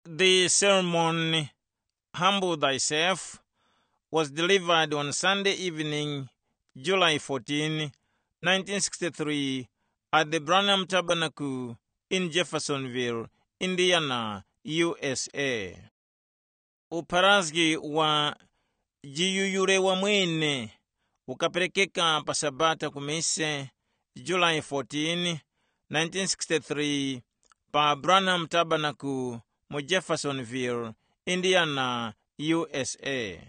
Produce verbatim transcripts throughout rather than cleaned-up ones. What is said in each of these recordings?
The sermon, Humble Thyself, was delivered on Sunday evening, July fourteen, nineteen sixty-three, at the Branham Tabernacle in Jeffersonville, Indiana, U S A. Upharazgi wa jiyuyure wamwene ukaperekeka pa Sabata ku mise, July fourteen, nineteen sixty-three, pa Branham Tabernacle mu Jeffersonville, Indiana, U S A.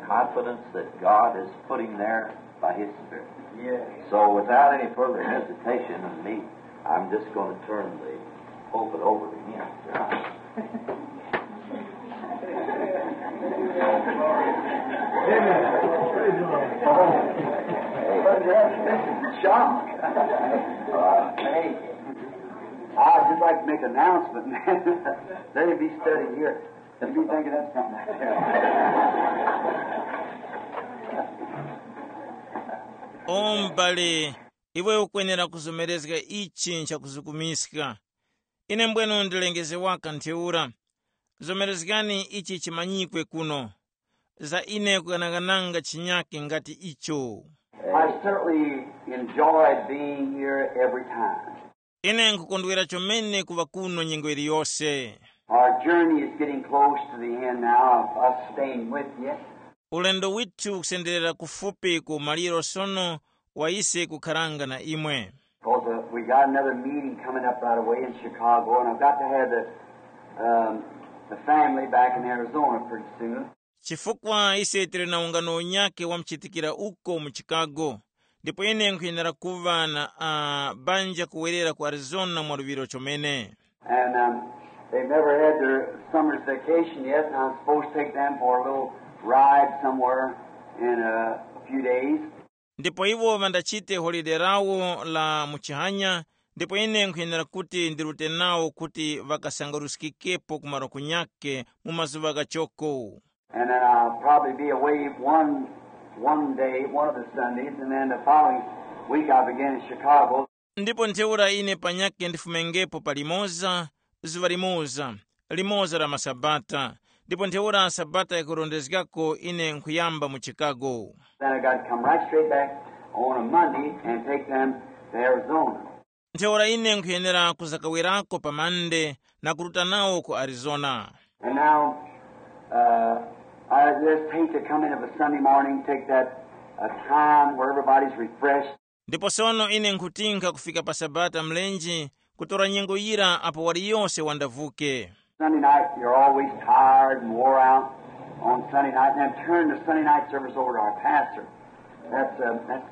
Confidence that God is putting there by His Spirit. Yes. So, without any further hesitation in me, I'm just going to turn the pulpit over to Him. John, uh, hey, I'd just like to make an announcement, man. Let me be studying here. Let me think of that something. Umbali, iwe ukwenera kuzomerezga ichi nchakuzukumiska. Ine mbwenu ndilengeze waka ntheura. Zomerezgani ichi chimanyikwe kuno. Za ine kughanaghananga chinyake ngati icho. I certainly enjoyed being here every time. Ine nkukondwera chomene kuŵa kuno nyengo iliyose. Our journey is getting close to the end now of us staying with you. Ulendo withu ukusenderera kufupi ku maliro sono wa ise kukharanga na imwe. Because uh, we got another meeting coming up right away in Chicago, and I've got to have the, um, the family back in Arizona pretty soon. Chifukwa ise tili na ungano unyake wamchitikira uko mu Chicago, ndipo ine nkhuyenera kuŵa na uh, banja kuwerera ku Arizona mwaluŵiro chomene. And um, they've never had their summer's vacation yet, and I'm supposed to take them for a little ride somewhere in a, a few days. Ndipo iwo ŵandachite holide lawo la muchihanya, ndipo ine nkhuyenera kuti ndirute nawo kuti ŵakasangaruskikepo ku malo kunyake mu mazuŵa ghachoko. And then I'll probably be away one one day, one of the Sundays, and then the following week I'll begin in Chicago. Ndipo ntheura ine panyake ndifumengepo palimoza, zuŵa limoza, limoza la masabata, ndipo ntheura sabata yakurondezgako ine nkhuyamba mu Chicago. Then I got to come right straight back on a Monday and take them to Arizona. Ntheura ine nkhuyenera kuzakawerako pa Mande na kuruta nawo ku Arizona. And now, uh, I just hate to come in of a Sunday morning, take that uh, time where everybody's refreshed. Ndipo sono ine nkhutinka kufika pa Sabata mlenje, kutora nyengo yira apo waliyose wandavuke. Sunday night, you're always tired and wore out on Sunday night, and then turn the Sunday night service over to our pastor. That's, uh, that's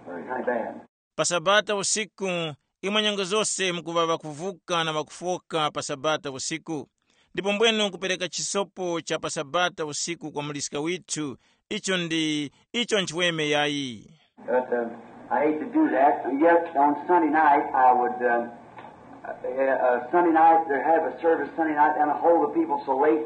kind of bad. Pa Sabata usiku, imwe nyengo zose mukuŵa ŵakuvuka na ŵakufoka pa Sabata usiku, ndipo mbwenu kupereka chisopo cha pa Sabata usiku kwa muliska withu, icho ndi icho nchiweme yayi. But uh, I hate to do that. And yet on Sunday night, I would, uh, uh, uh, Sunday night, they have a service Sunday night, and I hold the people so late.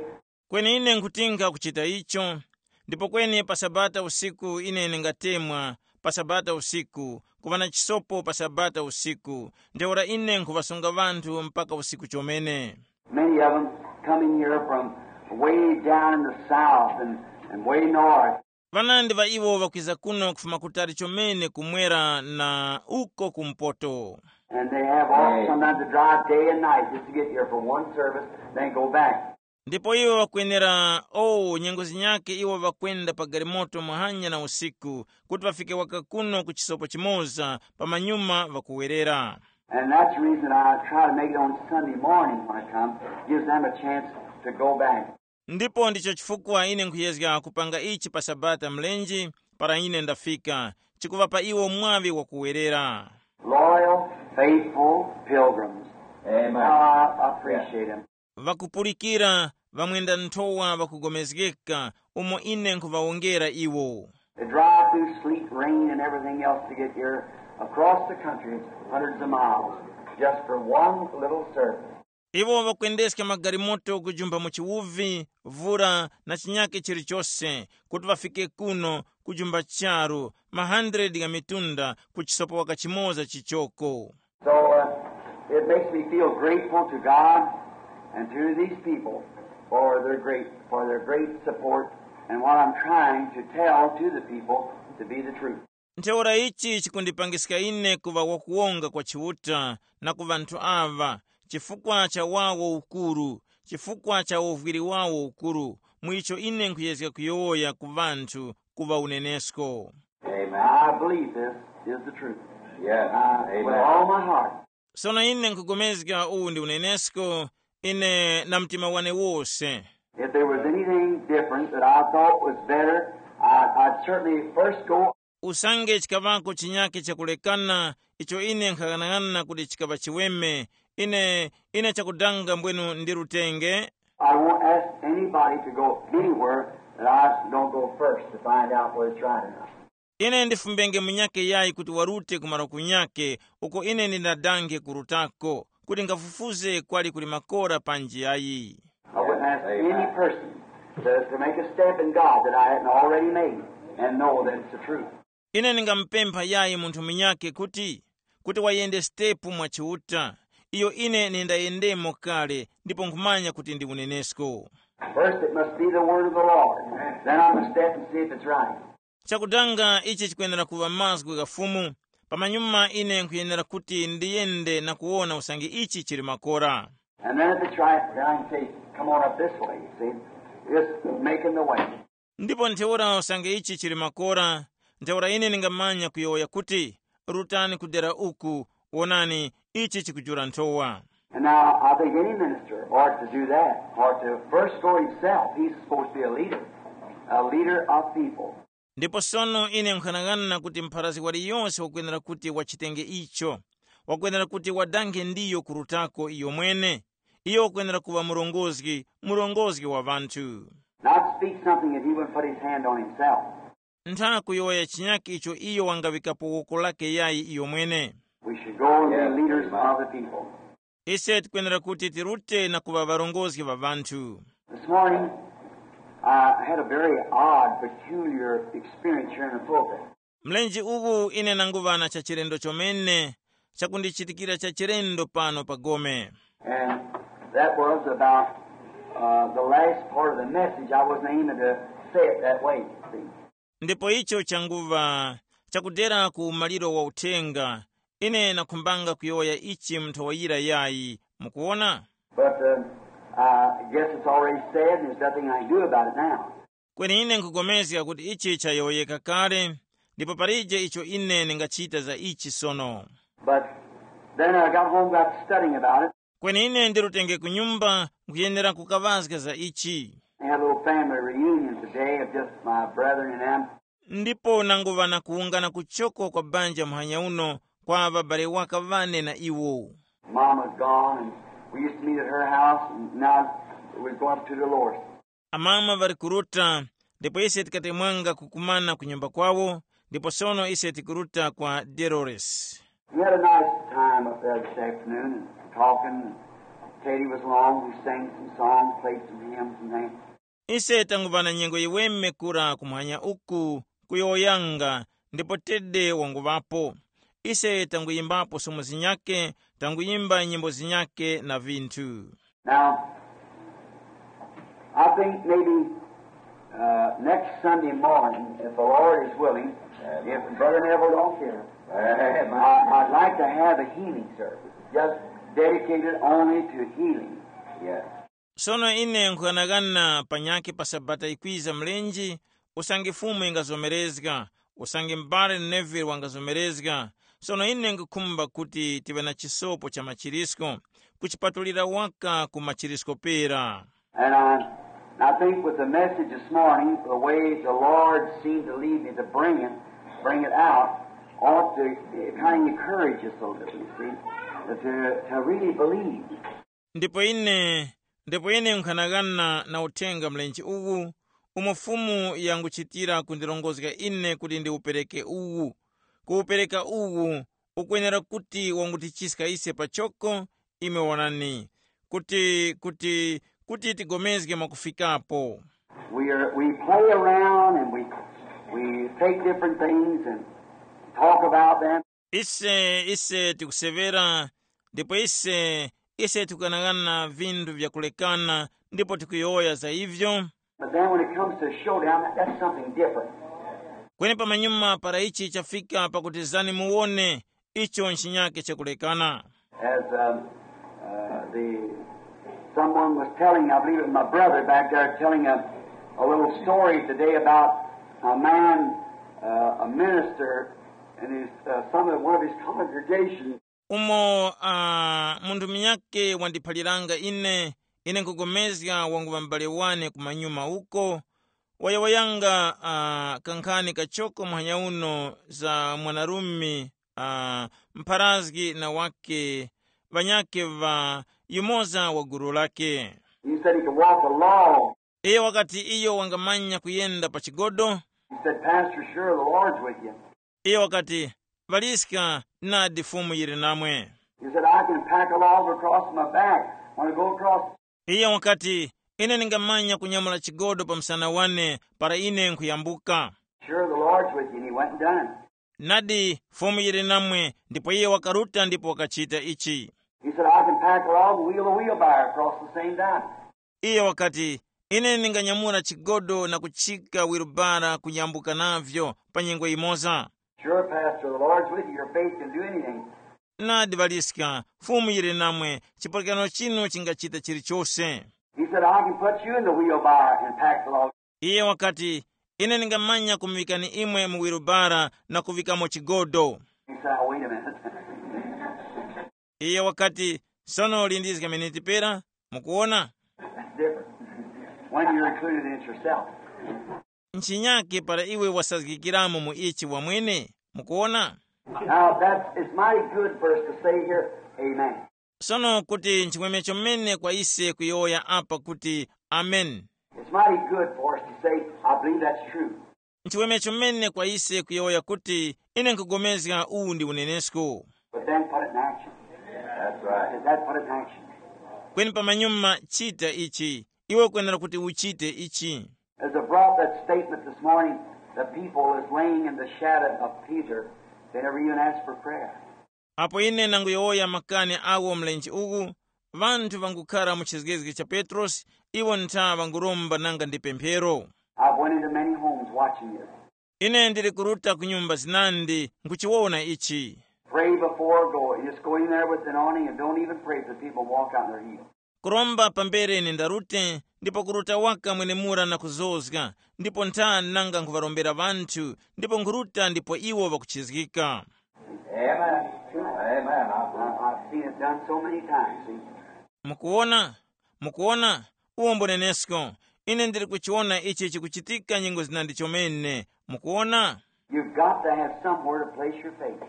Kweni ine nkhutinga kuchita icho, ndipo kweni pa Sabata usiku ine ndingatemwa, pa Sabata usiku, kuŵa na chisopo pa Sabata usiku, ntheura ine nkhuŵasunga ŵanthu mpaka usiku chomene. Many of them coming here from way down in the south and, and way north. Ŵanandi ŵa iwo ŵakwiza kuno kufuma kutali chomene kumwera na uko kumpoto. And they have all sometimes to drive day and night just to get here for one service, then go back. Ndipo iwo ŵakwenera, o nyengo zinyake iwo ŵakwenda pa galimoto muhanya na usiku, kuti ŵafike waka kuno ku chisopo chimoza, pamanyuma ŵakuwerera. And that's the reason I try to make it on Sunday morning when I come. Gives them a chance to go back. Ndipo ndicho chifukwa ine nkhuyezga kupanga ichi pa Sabata mlenje, para ine ndafika, chikuŵapa iwo mwaŵi wakuwerera. Loyal, faithful pilgrims. Amen. How I appreciate them. Ŵakupulikira, ŵamwenda nthowa ŵakugomezgeka, umo ine nkhuŵawongera iwo. They drive through sleet, rain, and everything else to get here across the country, hundreds of miles, just for one little service. Iwo ŵakwendeska magalimoto kujumpha mu chiwuvi, vura na chinyake chilichose, kuti ŵafike kuno kujumpha charu, ma hundred gha mitunda ku chisopo waka chimoza chichoko. So uh, It makes me feel grateful to God and to these people for their great, for their great support and what I'm trying to tell to the people to be the truth. Ntheura ichi chikundipangiska ine kuŵa wakuwonga kwa Chiuta na ku ŵanthu aŵa, chifukwa cha wawo ukuru, chifukwa cha uvwiri wawo ukuru, mu icho ine nkhuyezga kuyowoya ku ŵanthu kuŵa unenesko. Amen. I believe this is the truth. Yes. Uh, with Amen. All my heart. Sono ine nkhugomezga uwu ndi unenesko, ine na mtima wane wose. If there was anything different that I thought was better, I, I'd certainly first go. Usange chikaŵako chinyake chakulekana icho ine nkhaghanag'ana kuti chikaŵa chiweme, ine ine chakudanga mbwenu ndirutenge. I won't ask anybody to go anywhere that I don't go first to find out whether it's right or not. Ine ndifumbenge munyake yayi kuti warute ku malo kunyake uko ine ndinadanghe kurutako, kuti ngafufuze kwali kuli makora panji yayi. I wouldn't ask any person to, to make a step in God that I hadn't already made and know that it's the truth. Ine ndingamupempha yayi munthu munyake kuti kuti wayende sitepu mwa Chiuta, iyo ine nindayendemo kale ndipo nkhumanya kuti ndi unenesko. First, it must be the word of the Lord. Then I must step and see if it's right. Chakudanga ichi chikuyenera kuŵa mazgu gha Fumu. Pamanyuma ine nkhuyenera kuti ndiyende na kuwona usange ichi chili makora. And then if it's right, then I can say, come on up this way, you see. Just making the way. Ndipo ntheura usange ichi chili makora, ntheura ine ndingamanya kuyowoya kuti, rutani kudera uku, wonani, ichi chikujula nthowa. And now I think any minister ought to do that, ought to first go himself. He's supposed to be a leader, a leader of people. Ndipo sono ine nkhanang'ana kuti mpharazgi waliyonse wakwenera kuti wachitenge icho, wakwenera kuti wadanghe ndiyo kurutako iyo mwene. Iyo wakwenera kuŵa murongozgi, murongozgi wa ŵanthu. Not speak something that he wouldn't put his hand on himself. Ntha kuyowoya chinyakhe icho iyo wangaŵikapo woko lake yayi iyo mwene. We should go and Yes, be leaders amen. Of the people. Ise tikwenera kuti tirute na kuŵa ŵarongozgi ŵa ŵanthu. This morning, I had a very odd, peculiar experience here in the pulpit. Mlenje uwu ine nanguŵa na chachilendo chomene chakundichitikira chachilendo pano pa gome. And that was about uh, the last part of the message. I wasn't aiming to say it that way, see. Ndipo icho changuŵa chakudera ku maliro wa uthenga, ine nakhumbanga kuyowoya ichi mu nthawi yira yayi. Mukuwona? But uh, I guess it's already said, and there's nothing I can do about it now. Kweni ine nkugomezga kuti ichi chayowoyeka kale, ndipo palije icho ine ndingachita za ichi sono. But then I got home, got to studying about it. Kweni ine ndirutenge ku nyumba, nkuyenera kukaŵazga za ichi. I had a little family reunion today of just my brethren and them. Ndipo nanguŵa na kuwungana kuchoko kwa banja muhanya uno kwa ŵabale waka ŵane na iwo. Mama's gone, and we used to meet at her house, and now we're going up to Dolores. Amama ŵali kuruta, ndipo ise tikatemwanga kukumana ku nyumba kwawo, ndipo sono ise tikuruta kwa Dolores. We had a nice time up there this afternoon, and talking. Katie was along, we sang some songs, played some hymns and things. Ise tanguŵa na nyengo yiweme kura kumwanya uku kuyowoyanga, ndipo Tede wanguŵapo. Ise tanguyimbapo somo zinyake, tanguyimba nyimbo zinyake na vinthu. Now, I think maybe uh, next Sunday morning, if the Lord is willing, if Brother Neville don't care, I, I'd like to have a healing service, just dedicated only to healing. Yes. Sono ine nkhughanaghana panyakhe pa sabata yikwiza mlenje, usange Fumu ingazomerezga, usange m'bale Neville wangazomerezga. Sono ine nkhukhumba kuti tiŵe na chisopo cha machirisko, kuchipatulira waka ku machirisko pera. And I, I think with the message this morning, the way the Lord seemed to lead me to bring it, bring it out, ought to kind of encourage us a little, you see, to, to really believe. Ndipo ine, ndipo ine nkhanagana na uthenga mlenje uwu, umo Fumu yanguchitira kundirongozga ine kuti ndiwupereke uwu. Kuwupereka uwu ukwenera kuti wangutichiska ise pachoko, imwe wonani, kuti, kuti, kuti tigomezge mwakufikapo. We, are, we play around and we, we take different things and talk about them. Ise, ise tikusevera, Ndipo ise, ise tikughanaghana vinthu vyakulekana, ndipo tikuyowoya za ivyo. But then when it comes to a showdown, that, that's something different. Kweni pamanyuma para ichi chafika pakuti zani muwone, icho nchinyake chakulekana. As uh, uh, the someone was telling, I believe it was my brother back there, telling a, a little story today about a man, uh, a minister, and his uh, some of one of his congregations. Umo uh, munthu munyake wandiphaliranga ine, ine nkugomezga wangu wa m'bale wane kumanyuma uko, wayowoyanga uh, kankhani kachoko muhanya uno za mwanarume uh, mpharazgi na wake ŵanyakhe ŵa yumoza wa gulu lake. He said he could walk the law. Iye wakati iyo wangamanya kuyenda pa chigodo. He said, "Pastor, sure, the Lord's with you." Iye wakati, "Ŵaliska, nadi Fumu yili namwe." He said, "I can pack a log across my back when I go across." Iye wakati, "Ine ndingamanya kunyamula chigodo pa msana wane para ine nkhuyambuka." "Sure, the Lord's with you," and he went and done it. "Nadi, Fumu yili namwe," ndipo iye wakaruta ndipo wakachita ichi. He said, "I can pack a log and wheel a wheelbarrow across the same time." Iye wakati, "Ine ndinganyamula chigodo na kuchika wirubara kuyambuka navyo pa nyengo yimoza." "Sure, Pastor, the Lord's with you. Your faith can do anything." "Nadi Ŵaliska, Fumu yili namwe, chipulikano chinu chingachita chilichose." He said, "I can put you in the wheelbarrow and pack the log." Iye wakati, "Ine ndingamanya kumuŵikani imwe mu wirubara na kuŵikamo chigodo." He said, "Now, wait a minute." Iye wakati, "Sono lindizga miniti pera, mukuwona?" Different. When you're included in it yourself. Nchinyake para iwe wasazgikiramo mu ichi wamwene, mukuwona? Now, that's, it's mighty good for us to say here, "Amen." Sono kuti nchimwemwe chomene kwa ise kuyowoya apa kuti, "Amen." It's mighty good for us to say, "I believe that's true." Nchimwemwe chomene kwa ise kuyowoya kuti, "Ine nkugomezga uwu ndi unenesko." But then put it in action. That's right. Is that put it in action? Kweni pamanyuma chita ichi, iwe ukwenera kuti uchite ichi. As I brought that statement this morning, the people is laying in the shadow of Peter. They never even asked for prayer. Apo ine nanguyowoya makani agho mlenje uwu, ŵanthu ŵangukhara mu chizgezge cha Petrosi, iwo ntha ŵanguromba nanga ndi pemphero. I've went into many homes watching this. Ine ndili kuruta ku nyumba zinandi nkuchiwona ichi. Pray before going. Just go in there with an awning and don't even pray for the people walk out and they're healed. Kuromba pambere ine ndarute, ndipo kuruta waka mwenemura na kuzozga, ndipo ntha nanga nkhuŵarombera ŵanthu, ndipo nkhuruta ndipo iwo ŵakuchizgika. Amen. Amen. I've, I've seen it done so many times. See? Mukuwona? Mukuwona? Uwo mbunenesko. Ine ndili kuchiwona ichi chikuchitika nyengo zinandi chomene. Mukuwona? You've got to have somewhere to place your faith.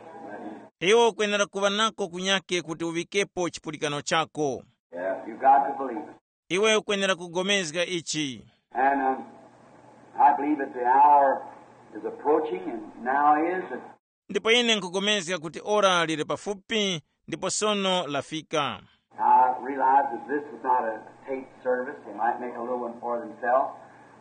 Iwe ukwenera kuŵa nako kunyake kuti uŵikepo chipulikano chako. Yeah. You've got to believe it. Iwe ukwenera kugomezga ichi. And um, I believe that the hour is approaching, and now is. And ndipo ine nkupulikana kuti ora lili pafupi, ndipo sono lafika. I realize that this is not a tape service. They might make a little one for themselves,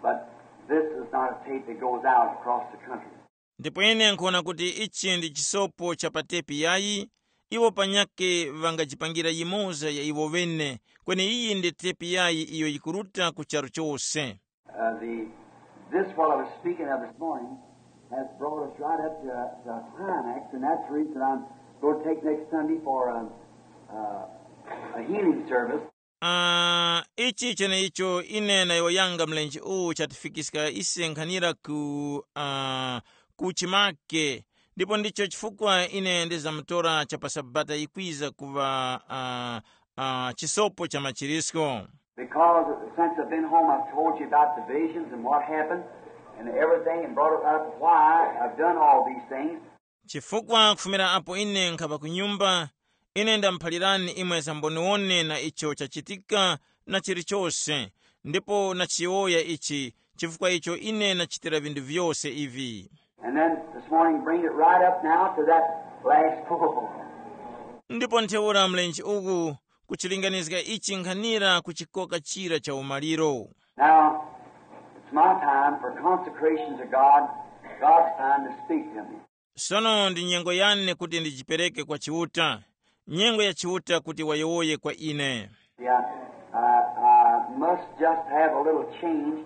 but this is not a tape that goes out across the country. Ndipo ine nkhuwona kuti ichi ndi chisopo cha pa tepi yayi, iwo panyakhe ŵangajipangira yimoza ya iwo ŵene, kweni iyi ndi tepi yayi iyo yikuruta ku charu chose. Uh, the, this, what I was speaking of this morning, has brought us right up to, to climax, and that's the reason I'm going to take next Sunday for a, a, a healing service. Ah, ichi cheneicho ine nayowoyanga mlenje uwu chatifikiska ise nkhanira ku, ah, ku chimake, ndipo ndicho chifukwa ine ndizamutora cha pa Sabata yikwiza kuŵa, ah, ah, chisopo cha machirisko. Because since I've been home, I've told you about the visions and what happened and everything and brought it up why I've done all these things. Chifukwa kufumira apo ine nkhapa ku nyumba, ine ndamuphalirani imwe za mboniwone na icho chachitika na chilichose, ndipo nachiyowoya ichi, chifukwa icho ine nachitira vinthu vyose ivi. And then this morning, bring it right up now to that last pull. Ndipo ntheura mlenje uku kuchilinganizga ichi nkhanira ku chikoka chira cha umaliro. Now, it's my time for consecration to God, God's time to speak to me. Sono ndi nyengo yane kuti ndijipereke kwa Chiuta. nyengo ya Chiuta kuti wayowoye kwa ine. Yeah, I, I must just have a little change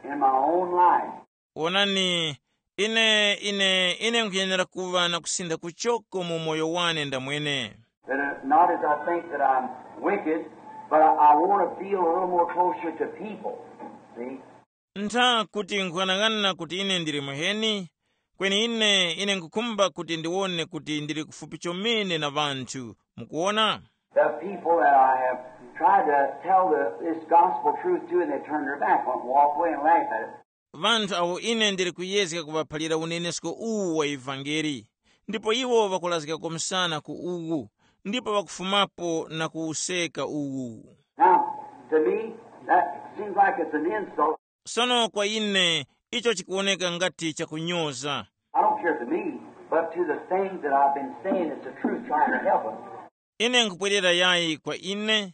in my own life. Wonani, ine ine ine nkhuyenera kuŵa na kusintha kuchoko mu moyo wane ndamwene. That, uh, not as I think that I'm wicked, but I, I want to feel a little more closer to people. See? Ntha kuti nkhughanaghana kuti ine ndili muheni, kweni ine ine nkhukhumba kuti ndiwone kuti ndili kufupi chomene na ŵanthu. Mukuwona? The people that I have tried to tell the, this gospel truth to, and they turn their back on it, walk away and laugh at it. Ŵanthu awo ine ndili kuyezga kuŵaphalira unenesko uwu wa ivangeli, ndipo iwo ŵakulazgako msana ku uwu, ndipo ŵakufumapo na kuwuseka uwu. Now, to me, that seems like it's an insult. Sono kwa ine, icho chikuwoneka ngati chakunyoza. I don't care to me, but to the things that I've been saying is the truth, trying to help them. Ine nkupwerera yayi kwa ine,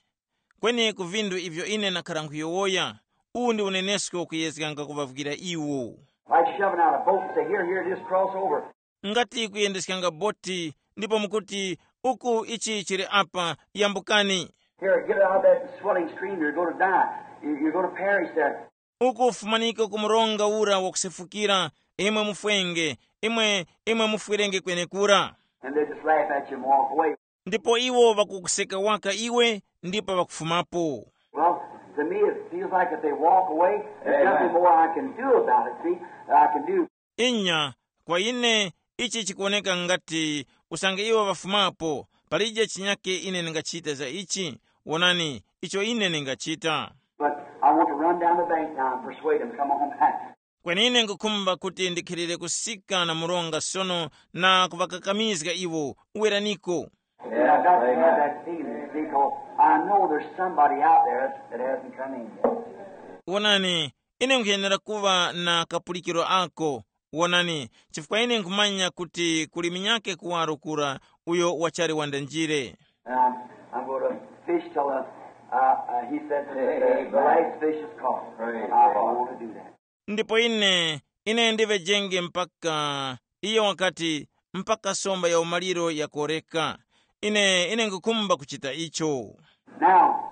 kweni ku vinthu ivyo ine nakhara nkhuyowoya, uwu ndi unenesko kuyezganga kuvavukira iwo. Like shoving out a boat and say, "Here, here, just cross over." Ngati kuyendeskanga boti, ndipo mukuti, uku ichi chili apa, yambukani. "Here, get out of that swelling stream, you're going to die. You, you're going to perish there." Uku fumaniko ku mronga ura wakusefukira, imwe mufwenge, imwe imwe mufwerenge kwenekura. And they just laugh at you and walk away. Ndipo iwo ŵakukuseka waka iwe, ndipo ŵakufumapo. Well, to me, it feels like if they walk away, there's nothing more I can do about it, see, that I can do. Inya, kwa ine, ichi chikuwoneka ngati usange iwo ŵafumapo, palije chinyake ine ndingachita za ichi. Wonani, icho ine ndingachita. But I want to run down the bank now and persuade them to come on back. Kweni ine nkukhumba kuti ndikhilire kusika na mronga sono, na kuŵakakamizga iwo, uweraniko. And I've got to have that feeling, see, 'cause I know there's somebody out there that hasn't come in yet. Wonani, ine nkhuyenera kuŵa na kapulikiro ako. Wonani, chifukwa ine nkhumanya kuti kuli munyake kuwaro kura, uyo wachali wandanjire. And I'm, I'm going to fish till, uh, uh, uh, he said, the, the, the last fish is caught. I want to do that. Ndipo ine, ine ndiŵejenge mpaka, iye wakati, mpaka somba ya umaliro yakoreka. Ine ine nkukhumba kuchita icho. Now,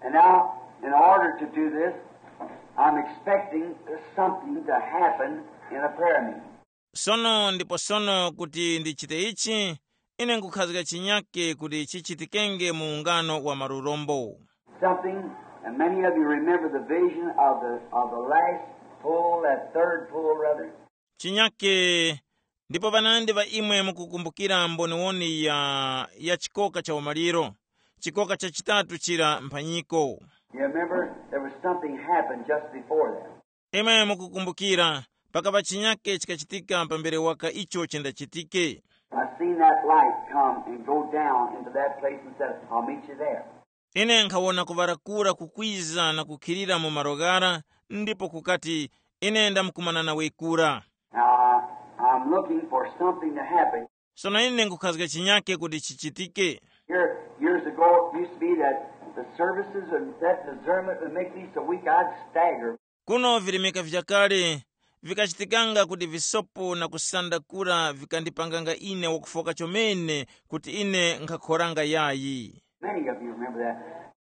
and now, in order to do this, I'm expecting something to happen in a prayer meeting. Sono ndipo sono kuti ndichite ichi, ine nkukhazika chinyake kuti chichitikenge mu ungano wa malurombo. Something, and many of you remember the vision of the, of the last pull, that third pull, rather. Chinyake, ndipo ŵanandi ŵa imwe mukukumbukira mboniwoni ya, ya chikoka cha umaliro, chikoka cha chitatu chira mphanyiko. You remember there was something happened just before that. Imwe mukukumbukira, pakapa chinyake chikachitika pambere waka icho chindachitike. I seen that light come and go down into that place and said, I'll meet you there. Ine nkhawona kuŵarakura kukwiza na kukhilira mu malo ghara, ndipo kukati, ine ndamkumana nawe kura. Now, I, I'm looking for something to happen. Sono ine nkukhazga chinyake kuti chichitike. Here, years ago, it used to be that the services and that discernment would make me so weak I'd stagger. Kuno virimika vyakale, vikachitikanga kuti visopo na kusanda kura vikandipanganga ine wakufoka chomene kuti ine nkhakhoranga yayi. Many of you remember that.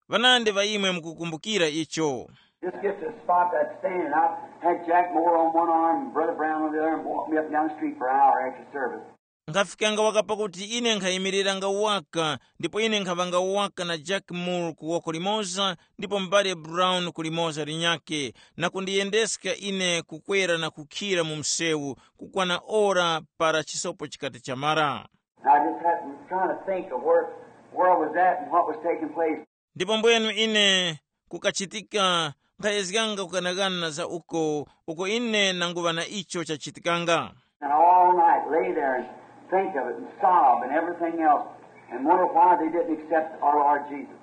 Ŵanandi ŵa imwe mukukumbukira icho. Just get to the spot that's standing. I had Jack Moore on one arm and Brother Brown on the other and walked me up and down the street for an hour after service. Nkhafikanga wakapa kuti ine nkhayimiriranga waka, ndipo ine nkhaŵanga waka na Jack Moore ku woko limoza, ndipo m'bale Brown ku limoza linyakhe, na kundiyendeska ine kukwera na kukhira mu msewu kukwana ora para chisopo chikati chamara. And I just had, was trying to think of where, where I was at and what was taking place. Ndipo mbwenu ine kukachitika nkhayezganga kukanakana za uko, uko ine nanguŵa na icho chachitikanga. And all night lay there and think of it and sob and everything else and wonder why they didn't accept our Lord Jesus.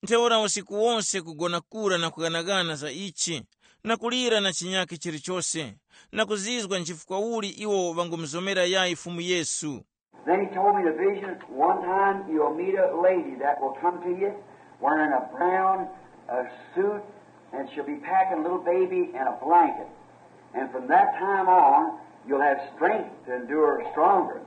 Ntheura usiku wonse kugona kura na kukanakana za ichi, na kulira na chinyakhe chilichose, na kuzizwa nchifukwa uli iwo ŵangumuzomera yayi Fumu Yesu. Then he told me the vision, one time you'll meet a lady that will come to you wearing a brown uh, suit, and she'll be packing a little baby and a blanket. And from that time on, you'll have strength to endure stronger.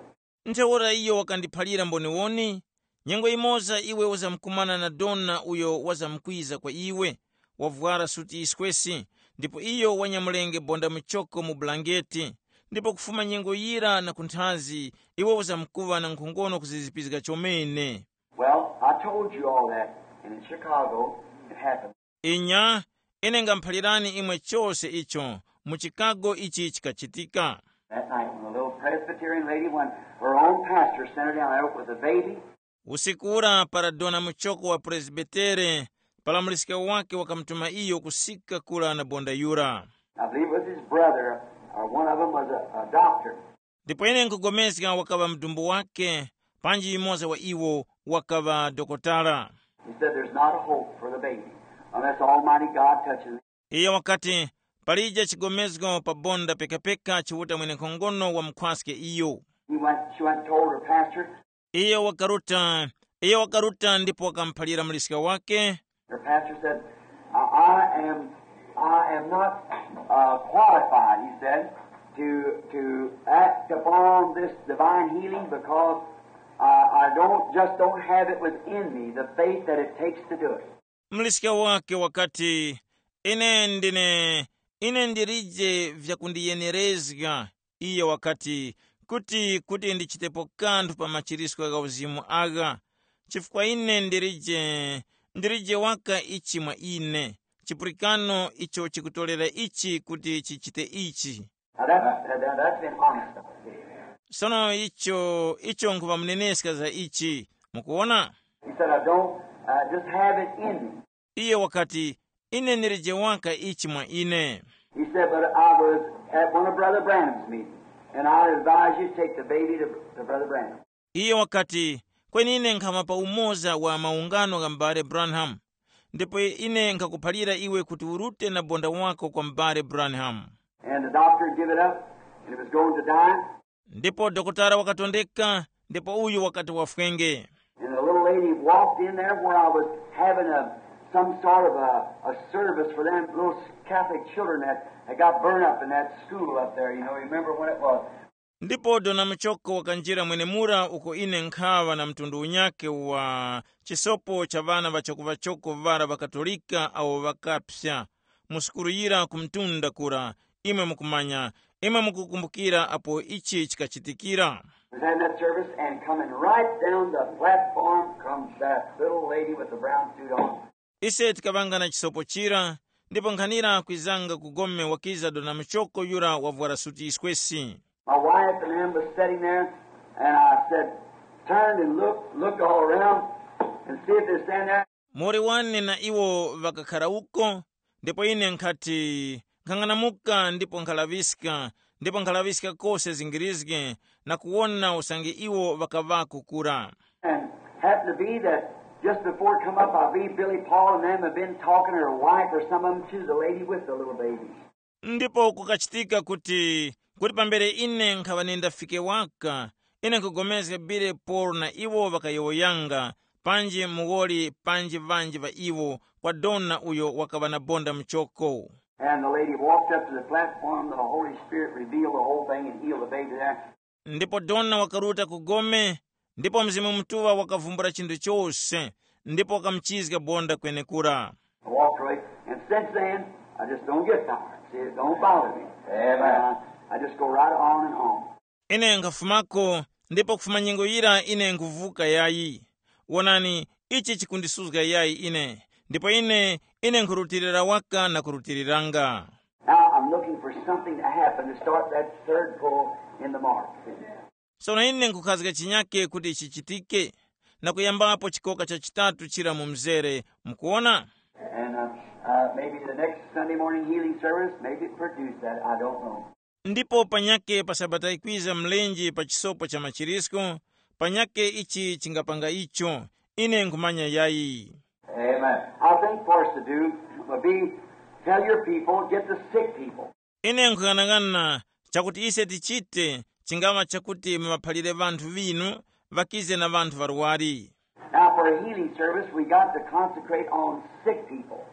Ntheura iyo wakandiphalira mboniwoni, nyengo yimoza iwe uzamkumana na dona uyo wazamkwiza kwa iwe, wavwara suti yiswesi, ndipo iyo wanyamulenge bonda muchoko mu bulangeti, ndipo kufuma nyengo yira na kunthazi, iwe uzamkuŵa na nkhongono kuzizipizga chomene. Well, I told you all that, and in Chicago, it happened. Inya, ine ngamuphalirani imwe chose icho, mu Chicago ichi chikachitika. That night, when a little Presbyterian lady, when her own pastor sent her down there with a baby, Usiku ura para dona muchoko wa Presbitere, para muliska wake wakamutuma iyo kusika kura na bonda yura. I believe it was his brother, or one of them was a, a doctor. Ndipo ine nkupulikana wakaŵa mudumbu wake, panji yumoza wa iwo wakaŵa dokotala. He said, "There's not a hope for the baby unless Almighty God touches it." Iye wakati, "Palije chigomezgo pa bonda pekapeka chiuta mwenenkhongono wamukhwaske iyo." He went, she went and told her pastor. Iye wakaruta, iye wakaruta ndipo wakamuphalira muliska wake. Her pastor said, "I, I am, I am not uh, qualified," he said, "to, to act upon this divine healing because I, I don't, just don't have it within me, the faith that it takes to do it." Muliska wake wakati, "Ine ndine, ine ndilije vyakundiyenerezga," iye wakati, "kuti, kuti ndichitepo kanthu pa machirisko gha uzimu agha, chifukwa ine ndilije, ndilije waka ichi mwa ine, chipulikano icho chikutorera ichi kuti chichite ichi." Now that's, that, that's been honest. Sono icho, icho nkhuŵamuneneska za ichi, mukuona? He said, "I don't uh, just have it in me." Iye wakati, "Ine ndilije waka ichi mwa ine." He said, "But I was at one of Brother Branham's meetings, and I advise you to take the baby to, to Brother Branham." Iye wakati, "Kweni ine nkhama pa umoza wa maungano gha m'bale Branham, ndipo ine nkhakuphalira iwe kuti urute na bonda wako kwa m'bale Branham." And the doctor give it up, and it was going to die. Ndipo dokotala wakatondeka, ndipo uyu wakati wafwenge. And the little lady walked in there where I was having a, some sort of a, a service for them little Catholic children that, that got burned up in that school up there. You know, you remember when it was. Ndipo dona muchoko wakanjira mwenemura uko ine nkhaŵa na mtundu unyakhe wa chisopo cha ŵana ŵachokoŵachoko ŵara ŵakatolika awo ŵakapsa mu sukulu yira ku mtunda kura. Imwe mukumanya, imwe mukukumbukira apo ichi chikachitikira. Was having that service and coming right down the platform comes that little lady with the brown suit on. Ise tikaŵanga na chisopo chira, ndipo nkhanira kwizanga ku gome wakiza dona muchoko yura wavwara suti yiswesi. My wife and them was sitting there, and I said, turned and looked, looked all around, and see if they're standing there. Muwoli wane na iwo ŵakakhara uko, ndipo ine nkhati, nkhang'anamuka ndipo nkhalaŵiska, ndipo nkhalaŵiska kose zingirizge, na kuwona usange iwo ŵakaŵako kura. And happened to be that just before it come up, I believe Billy Paul and them have been talking, or her wife or some of them, to the lady with the little babies. Ndipo kukachitika kuti, kuti pambere ine nkhaŵa nindafike waka, ine nkhupulikana Billy Paul na iwo ŵakayowoyanga, panji muwoli panji ŵanji ŵa iwo, kwa dona uyo wakaŵa na bonda muchoko. And the lady walked up to the platform, the Holy Spirit revealed the whole thing and healed the baby there. Ndipo dona wakaruta ku gome, ndipo Mzimu Mutuŵa wakavumbula chinthu chose, ndipo wakamuchizga bonda kwenekura. I walked away, and since then, I just don't get tired. See, it don't bother me. Amen. Uh, I just go right on and on. Ine nkhafumako, ndipo kufuma nyengo yira ine nkhuvuka yayi. Wonani, ichi chikundisuzga yayi ine, ndipo ine, ine nkhurutilira waka na kurutiliranga. Now I'm looking for something to happen to start that third pull in the mark. Sono ine nkhukhazga chinyake kuti chichitike, na kuyambapo chikoka cha chitatu chira mu mzere, mukuona? And uh, uh, maybe the next Sunday morning healing service, maybe it produced that. I don't know. Ndipo panyake pa sabata ikwiza mlenje pa chisopo cha machirisko, panyake ichi chingapanga icho, ine nkhumanya yayi. Amen. I think for us to do would be tell your people, get the sick people. Ine nkhung'anang'ana chakuti ise tichite, chingaŵa chakuti muŵaphalire ŵanthu ŵinu, ŵakize na ŵanthu ŵarwari. Now, for a healing service, we got to concentrate on sick people.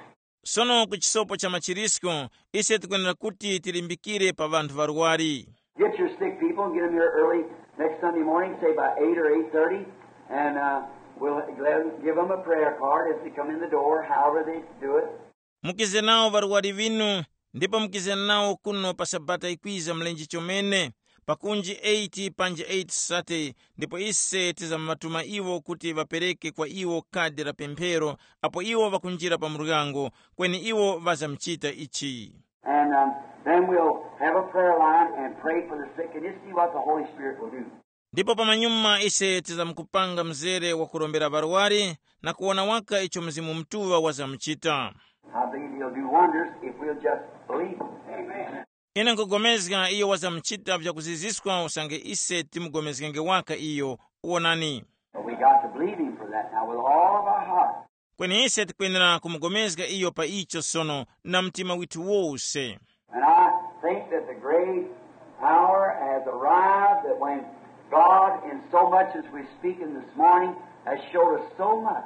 Sono ku chisopo cha machirisko, ise tikwenera kuti tilimbikire pa ŵanthu ŵarwari. Get your sick people and get them here early. Next Sunday morning, say by eight or eight thirty, and uh, we'll give them a prayer card as they come in the door, however they do it. Mukize nawo ŵarwari ŵinu, ndipo mukize nawo kuno pa Sabata ikwiza mlenje chomene, pakunji eight panji eight thirty, ndipo ise tizambatuma iwo kuti ŵapereke kwa iwo kadi la pemphero apo iwo ŵakunjira pa muryango, kweni iwo ŵazamuchita ichi. And um, then we'll have a prayer line and pray for the sick and just see what the Holy Spirit will do. Ndipo pamanyuma ise tizamkupanga mzere wa kurombera ŵarwari na kuwona waka icho Mzimu Mutuŵa wazamuchita. I believe he'll do wonders if we'll just believe him. Amen. Ine nkugomezga iyo wazamuchita vyakuziziswa usange ise timugomezgenge waka iyo. Wonani. But we got to believe him for that now with all of our heart. Kweni ise tikwenera kumugomezga iyo pa icho sono na mtima withu wose. And I think that the great hour has arrived that when God, in so much as we're speaking this morning, has showed us so much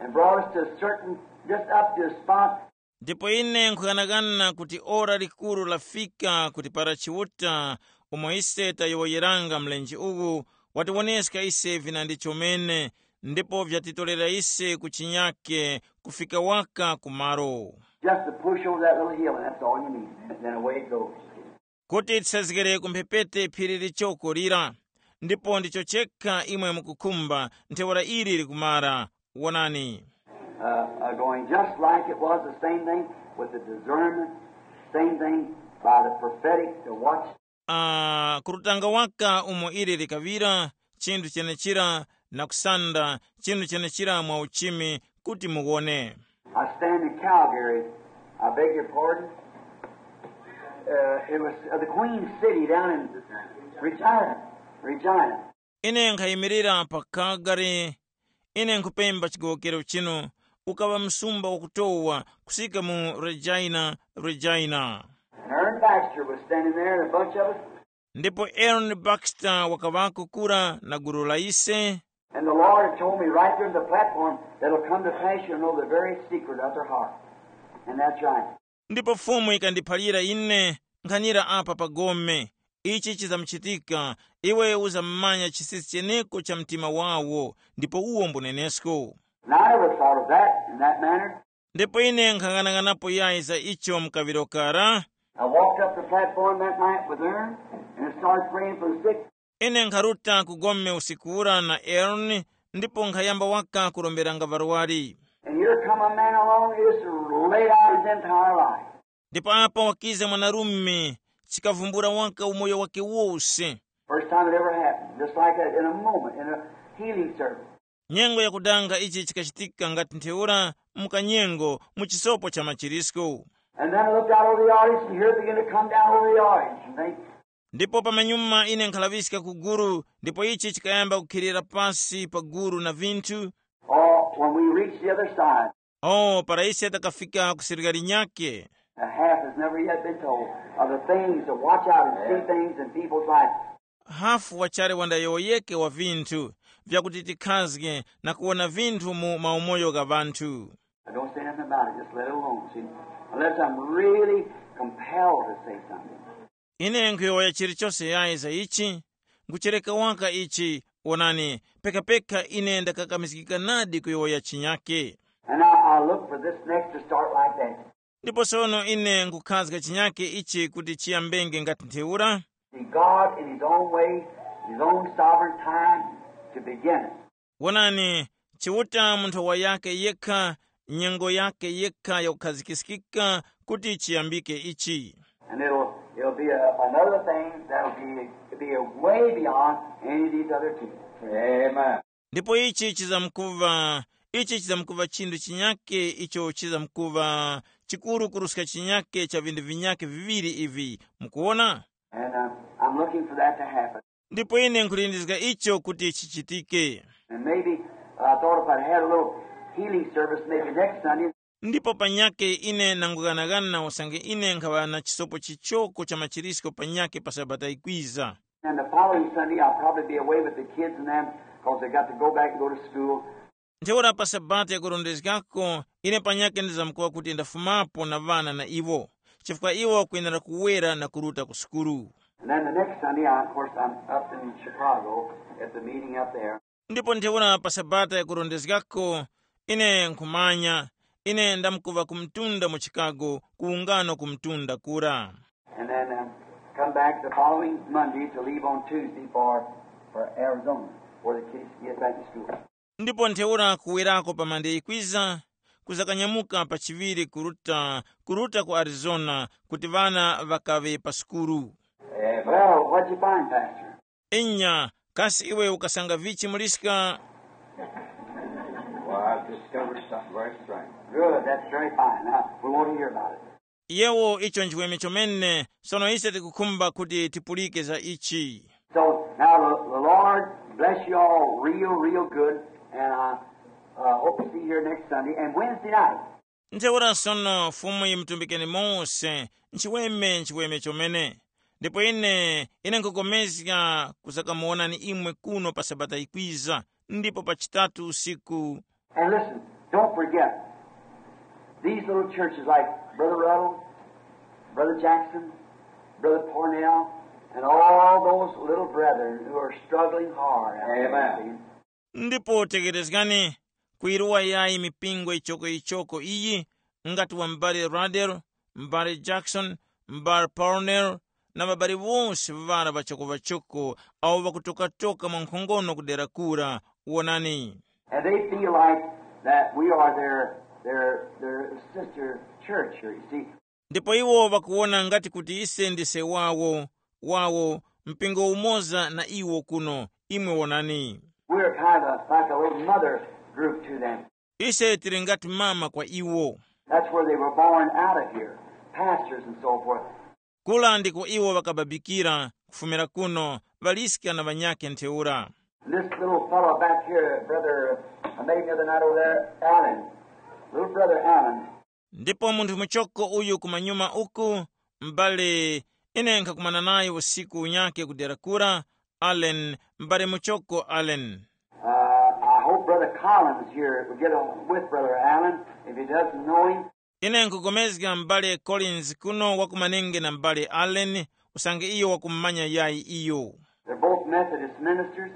and brought us to a certain, just up to a spot. Ndipo ine nkhughanaghana kuti ora likuru lafika kuti para Chiuta umo ise tayowoyeranga mlenje uwu watiwoneska ise vinandi chomene, ndipo vyatitorera ise ku chinyake kufika waka ku malo. Just to push over that little hill, and that's all you need. And then away it goes. Kuti tisazgere ku mphepete phiri lichoko lira, ndipo ndicho chekha imwe mukukhumba. Ntheura ili likumara. Wonani. Uh, uh, going just like it was, the same thing with the discernment, same thing by the prophetic to watch. Uh, kurutanga waka umo ili likaŵira, chinthu chenechira, na kusanda chinthu chenechira mwa uchimi, kuti muwone. I stand in Calgary. I beg your pardon. Uh, it was uh, the Queen City down in Regina. Regina. Ine nkhayimirira pa Calgary. Ine nkhupemba chigowokero chinu, ukaŵa msumba wakutowa kusika mu Regina, Regina. And Aaron Baxter was standing there, and a bunch of us. Ndipo Aaron Baxter wakaŵako kura na gulu la ise. And the Lord told me right there on the platform that'll come to pass, you'll know the very secret of their heart. And that's right. Ndipo Fumu ikandiphalira ine, nkhanira apa pa gome, ichi chizamuchitika, iwe uzammanya chisisi cheneko cha mtima wawo, ndipo uwo mbunenesko. And I never thought of that in that manner. Ndipo ine nkhang'anang'anapo yayi za icho mkaŵiro kara. I walked up the platform that night with Aaron and started praying for the sick. Ine nkharuta ku gome usiku ura na Aaron, ndipo nkhayamba waka kuromberanga ŵarwari. And here come a man along, he just laid out his entire life. Ndipo apo wakiza mwanarume, chikavumbula waka umoyo wake wose. First time it ever happened, just like that, in a moment, in a healing service. Nyengo yakudanga ichi chikachitika ngati ntheura, mukanyengo, mu chisopo cha machirisko. And then I looked out over the audience, and here it began to come down over the audience, and think, Ndipo pamanyuma ine nkhalaŵiska ku guru, ndipo ichi chikayamba kukhilira pasi pa guru na vinthu. Oh, when we reached the other side, Oh, para ise takafika ku sirikali nyake. The half has never yet been told of the things to watch out and see things in people's life. Hafu wachali wandayowoyeke wa vinthu vyakuti tikhazge na kuwona vinthu mu maumoyo gha ŵanthu. I don't say nothing about it, just let it alone, see? Unless I'm really compelled to say something. Ine nkhuyowoya chilichose yayi za ichi, nkuchereka waka ichi. Wonani, pekapeka ine ndakakamizgika nadi kuyowoya chinyake. And now I look for this next to start like that. Ndipo sono ine nkukhazga chinyake ichi kuti chiyambenge ngati ntheura. See, God in His own way, His own sovereign time to begin it. Wonani, Chiuta mu nthowa yake yekha, nyengo yake yekha yakukhazikiskika kuti chiyambike ichi. And it'll, it'll be a, another thing that'll be, be a way beyond any of these other two. Amen. Ndipo ichi chizamkuva, ichi chizamkuva chinthu chinyake icho chizamkuva chikuru kuruska chinyake cha vinthu vinyake viŵiri ivi. Mukuwona? And uh, I'm looking for that to happen. Ndipo ine nkhulindizga icho kuti chichitike. And maybe uh, I thought if I'd had a little healing service maybe next Sunday, Ndipo panyake ine nangughanagana usange ine nkhaŵa na chisopo chichoko cha machirisko panyake pa sabata ikwiza. And the following Sunday, I'll probably be away with the kids and them because they got to go back and go to school. Ntheura pa sabata yakurondezgako, ine panyake ndizamkuŵa kuti ndafumapo na ŵana na iwo, chifukwa iwo kwenera kuwera na kuruta ku sukulu. And then the next Sunday, I, of course, I'm up in Chicago at the meeting up there. Ndipo ntheura pa sabata yakurondezgako, ine nkhumanya, ine ndamkuva ku mtunda mu Chicago, ku ungano ku mtunda kura. And then um, come back the following Monday to leave on Tuesday for, for Arizona, where the kids get back to school. Ndipo ntheura kuwerako pa mande yikwiza, kuzakanyamuka pa chiŵiri kuruta kuruta ku Arizona, kuti ŵana ŵakaŵe pa sukulu. Well, what'd you find, Pastor? Inya, kasi iwe ukasanga vichi muliska? Well, I've discovered something very strange. Good, that's very fine. Now, we want to hear about it. Yewo, icho nchiweme chomene. Sono ise tikukhumba kuti tipulike za ichi. So now the, the Lord bless you all real, real good, and I uh, hope to see you here next Sunday and Wednesday night. Ntheura sono Fumu yimutumbikeni mose, nchiweme nchiweme chomene. Ndipo ine ine nkhukomezga kuzakamuwonani imwe kuno pa sabata yikwiza, ndipo pa chitatu usiku. And listen, don't forget, these little churches like Brother Ruddle, Brother Jackson, Brother Parnell, and all those little brethren who are struggling hard out there, amen, see? Ndipo tekerezgani, kuyiruwa yayi mipingo yichokoyichoko iyi, ngati wa m'bale Radel, m'bale Jackson, m'bale Parnell, na ŵabale wose ŵara ŵachokoŵachoko, awo ŵakutokatoka mwankhongono ku dera kura. Wonani. And they feel like that we are their, their, their sister church here, you see. Ndipo iwo ŵakuwona ngati kuti ise ndise wawo, wawo, mpingo umoza na iwo kuno. Imwe wonani. We're kind of like a little mother group to them. Ise tili ngati mama kwa iwo. That's where they were born out of here, pastors and so forth. Kula ndiko iwo ŵakababikira, kufumira kuno, ŵaliska na ŵanyakhe ntheura. And this little fellow back here, brother, I met him the other night over there, Allen. Little brother Allen. Ndipo munthu muchoko uyu kumanyuma uku, m'bale, ine nkhakumana naye usiku unyakhe ku dera kura, Allen, m'bale muchoko Allen. Uh, I hope Brother Collins here will get on with Brother Allen, if he doesn't know him. Ine nkupulikana m'bale Collins kuno wakumanenge na m'bale Allen, usange iyo wakumumanya yayi iyo. They're both Methodist ministers,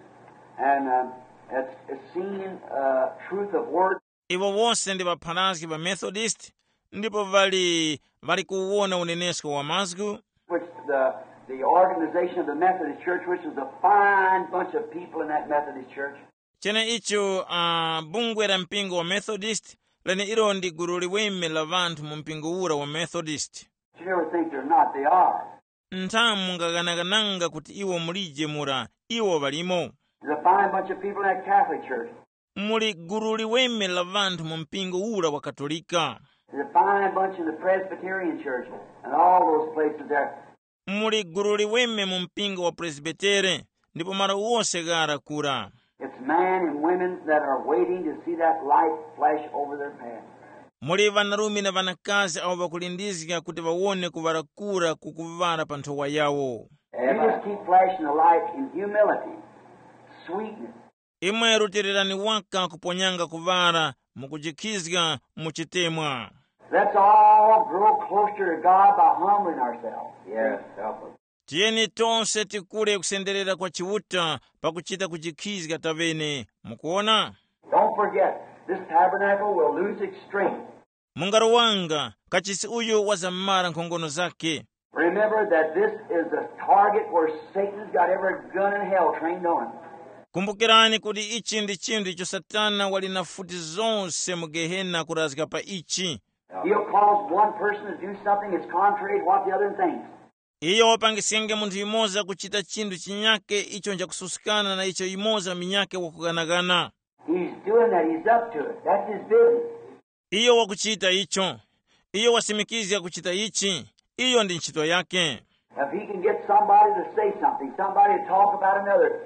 and uh, it's, it's seen uh, truth of word. Iwo wose ndi ŵapharazgi ŵa Methodist, ndipo ŵali ŵali kuwona unenesko wa mazgu. Which the, the organization of the Methodist Church, which was a fine bunch of people in that Methodist church. Cheneicho, uh, bungwe la mpingo wa Methodist, leneilo ndi gulu liweme la ŵanthu mu mpingo ura wa Methodist. You never think they're not, they are. Nthamu mungaganagananga kuti iwo mulije mura, iwo ŵalimo. There's a fine bunch of people in that Catholic church. Muli gulu liweme la ŵanthu mu mpingo ura wa Katolika. There's a fine bunch in the Presbyterian church and all those places there. Muli gulu liweme mu mpingo wa Presbitere, ndipo malo wose ghara kura. It's men and women that are waiting to see that light flash over their path. Muli ŵanarume na ŵanakazi awo ŵakulindizga kuti ŵawone kuŵala kura kukuŵala pa nthowa yawo. You just keep flashing the light in humility, sweetness. Imwe rutilirani waka kuponyanga kuŵala mu kujikhizga mu chitemwa. Let's all grow closer to God by humbling ourselves. Yes, help us. Tiyeni tose tikule kusenderera kwa Chiuta pakuchita kujikhizga tavene. Mukuona? Don't forget, this tabernacle will lose its strength. Mungarowanga, kachisi uyu wazamara nkhongono zake. Remember that this is the target where Satan's got every gun in hell trained on him. Kumbukirani kuti ichi ndi chinthu icho Satana wali na futi zonse mu Gehena kurazga pa ichi. He'll cause one person to do something that's contrary to what the other thinks. Iyo wapangiskenge munthu yumoza kuchita chinthu chinyake icho nchakususkana na icho yumoza munyake wakuganaghana. He's doing that. He's up to it. That's his business. Iyo wakuchita icho. Iyo wasimikizga kuchita ichi. Iyo ndi ntchito yake. If he can get somebody to say something, somebody to talk about another.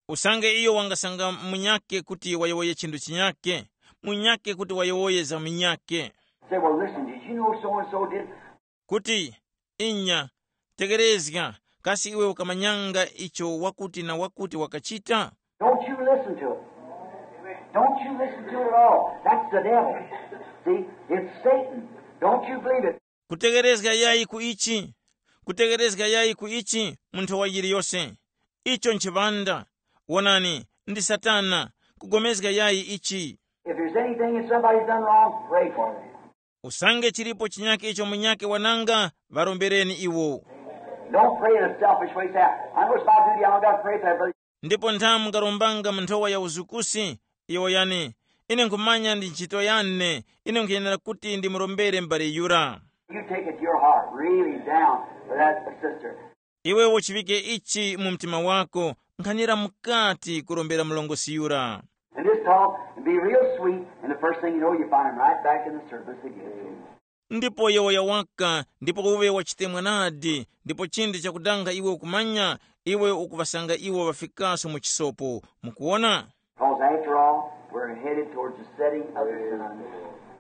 Usange iyo wangasanga munyake kuti wayowoye chinthu chinyake, munyake kuti wayowoye za munyake. Say, well, listen, did you know so and so did? Kuti, inya, tekerezga, kasi iwe ukamanyanga icho wakuti na wakuti wakachita? Don't you listen to it. Don't you listen to it at all. That's the devil. See, it's Satan. Don't you believe it. Kutekerezga yayi ku ichi, Kutegherezga yayi ku ichi mu nthowa yiliyose. Icho nchiŵanda. Wonani, ndi Satana. Kugomezga yayi ichi. If there's anything that somebody's done wrong, pray for them. Usange chilipo chinyake icho munyake wananga, ŵarombereni iwo. Don't pray in a selfish way. Say, I know it's my duty, I don't got to pray for that brother. Ndipo ntha mungarombanga mu nthowa ya uzukusi, iwo yani, ine nkhumanya ndi ntchito yane, ine nkhuyenera kuti ndimurombere m'bale yura. You take it to your heart, really down for that sister. Iwe uchiŵike ichi mu mtima wako, nkhanira mukati kurombera mlongosi yura. And just talk and be real sweet, and the first thing you know, you find him right back in the service again. Ndipo yowoya waka, ndipo uwe wachitemwa nadi, ndipo chindi chakudanga iwe ukumanya, iwe ukuŵasanga iwo ŵafikaso mu chisopo. Mukuwona? Because after all, we're headed towards the setting of the sun.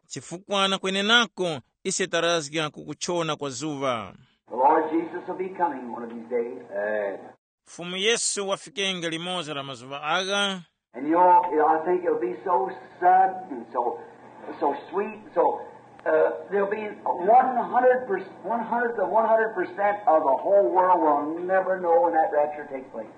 Chifukwa na kwenenako, ise tarazga ku kuchona kwa zuŵa. The Lord Jesus will be coming one of these days. Fumu Yesu wafikenge limoza la mazuŵa agha. And you know, I think it'll be so sudden and so, so sweet. So uh, there'll be one hundred percent, one hundred to one hundred percent of the whole world will never know when that rapture takes place.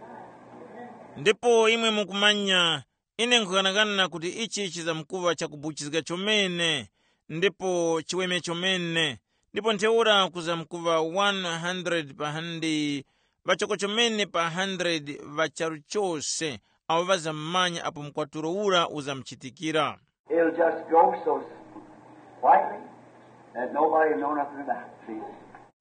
Ndipo imwe mukumanya, ine nkughanagana kuti ichi chizamkuŵa chakubuchizga chomene, ndipo chiweme chomene, ndipo ntheura kuzamkuŵa one hundred pa handi, ŵachoko chomene pa hundred ŵa charu chose, awo ŵazammanya apo mkwatulo ura uzamuchitikira. It'll just go so quietly that nobody will know nothing about it.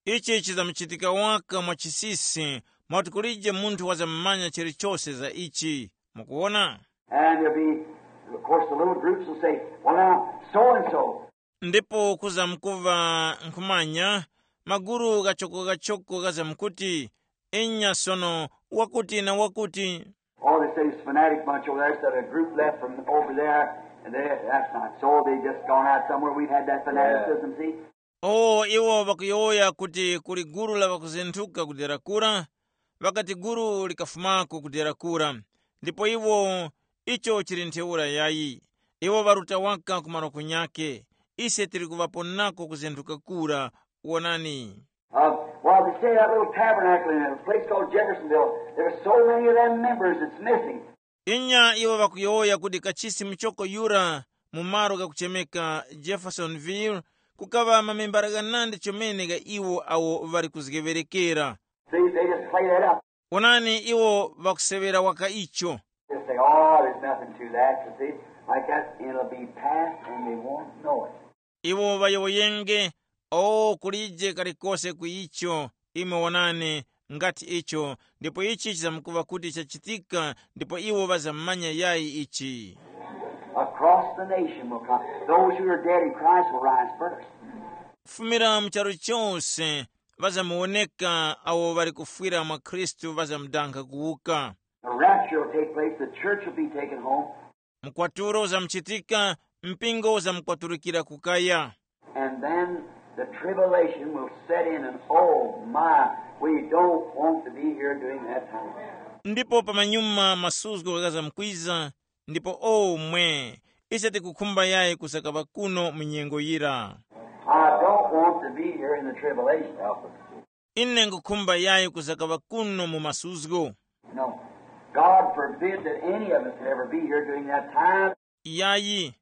See? Ichi chizamuchitika waka mwa chisisi, mwakuti kulije munthu wazammanya chilichose za ichi. Mukuwona? And there'll be, of course, the little groups will say, well, now, so and so. Ndipo kuzamkuva nkhumanya, maguru ghachoko-ghachoko ghazamkuti, inya sono, wakuti na wakuti. Oh, they say this fanatic bunch over there, said a group left from over there, and they, that's not so. They just gone out somewhere. We've had that fanaticism, see? O iwo ŵakuyowoya kuti kuli gulu la ŵakuzenthuka ku dera kura, ŵakati gulu likafumako ku dera kura, ndipo iwo, icho chili ntheura yayi. Iwo ŵaruta waka ku malo kunyake. Ise tili kuŵaponako kuzenthuka kura. Wonani. Uh, well, they say that little tabernacle in a place called Jeffersonville, there were so many of them members that's missing. Inya iwo ŵakuyowoya kuti kachisi muchoko yura mu malo ghakuchemeka Jeffersonville, kukaŵa mamembala ghanandi chomene gha iwo awo ŵali kuzgeŵerekera. See, they just play that up. Onani, iwo ŵakusewera waka icho. Just say, oh, there's nothing to that, you see, like that, and it'll be past and they won't know it. Iwo ŵayowoyenge, o kulije kalikose ku icho. Imwe wonani, ngati icho, ndipo ichi chizamkuŵa kuti chachitika, ndipo iwo ŵazamanya yayi ichi. Across the nation will come. Those who are dead in Christ will rise first. Kufumira mu charu chose, ŵazamuwoneka awo ŵali kufwira mwa Khristu ŵazamudankha kuwuka. The rapture will take place. The church will be taken home. Mkwatulo uzamuchitika, mpingo uzamukwaturukira kukaya. And then the tribulation will set in, and oh my, we don't want to be here during that time. Ndipo pamanyuma masuzgo ghazamkwiza, ndipo omwe, ise tikukhumba yayi kusakaŵa kuno mu nyengo yira. I don't want to be here in the tribulation. Ine ngukhumba yayi kusakaŵa kuno mu masuzgo. No. God forbid that any of us could ever be here during that time. Yayi,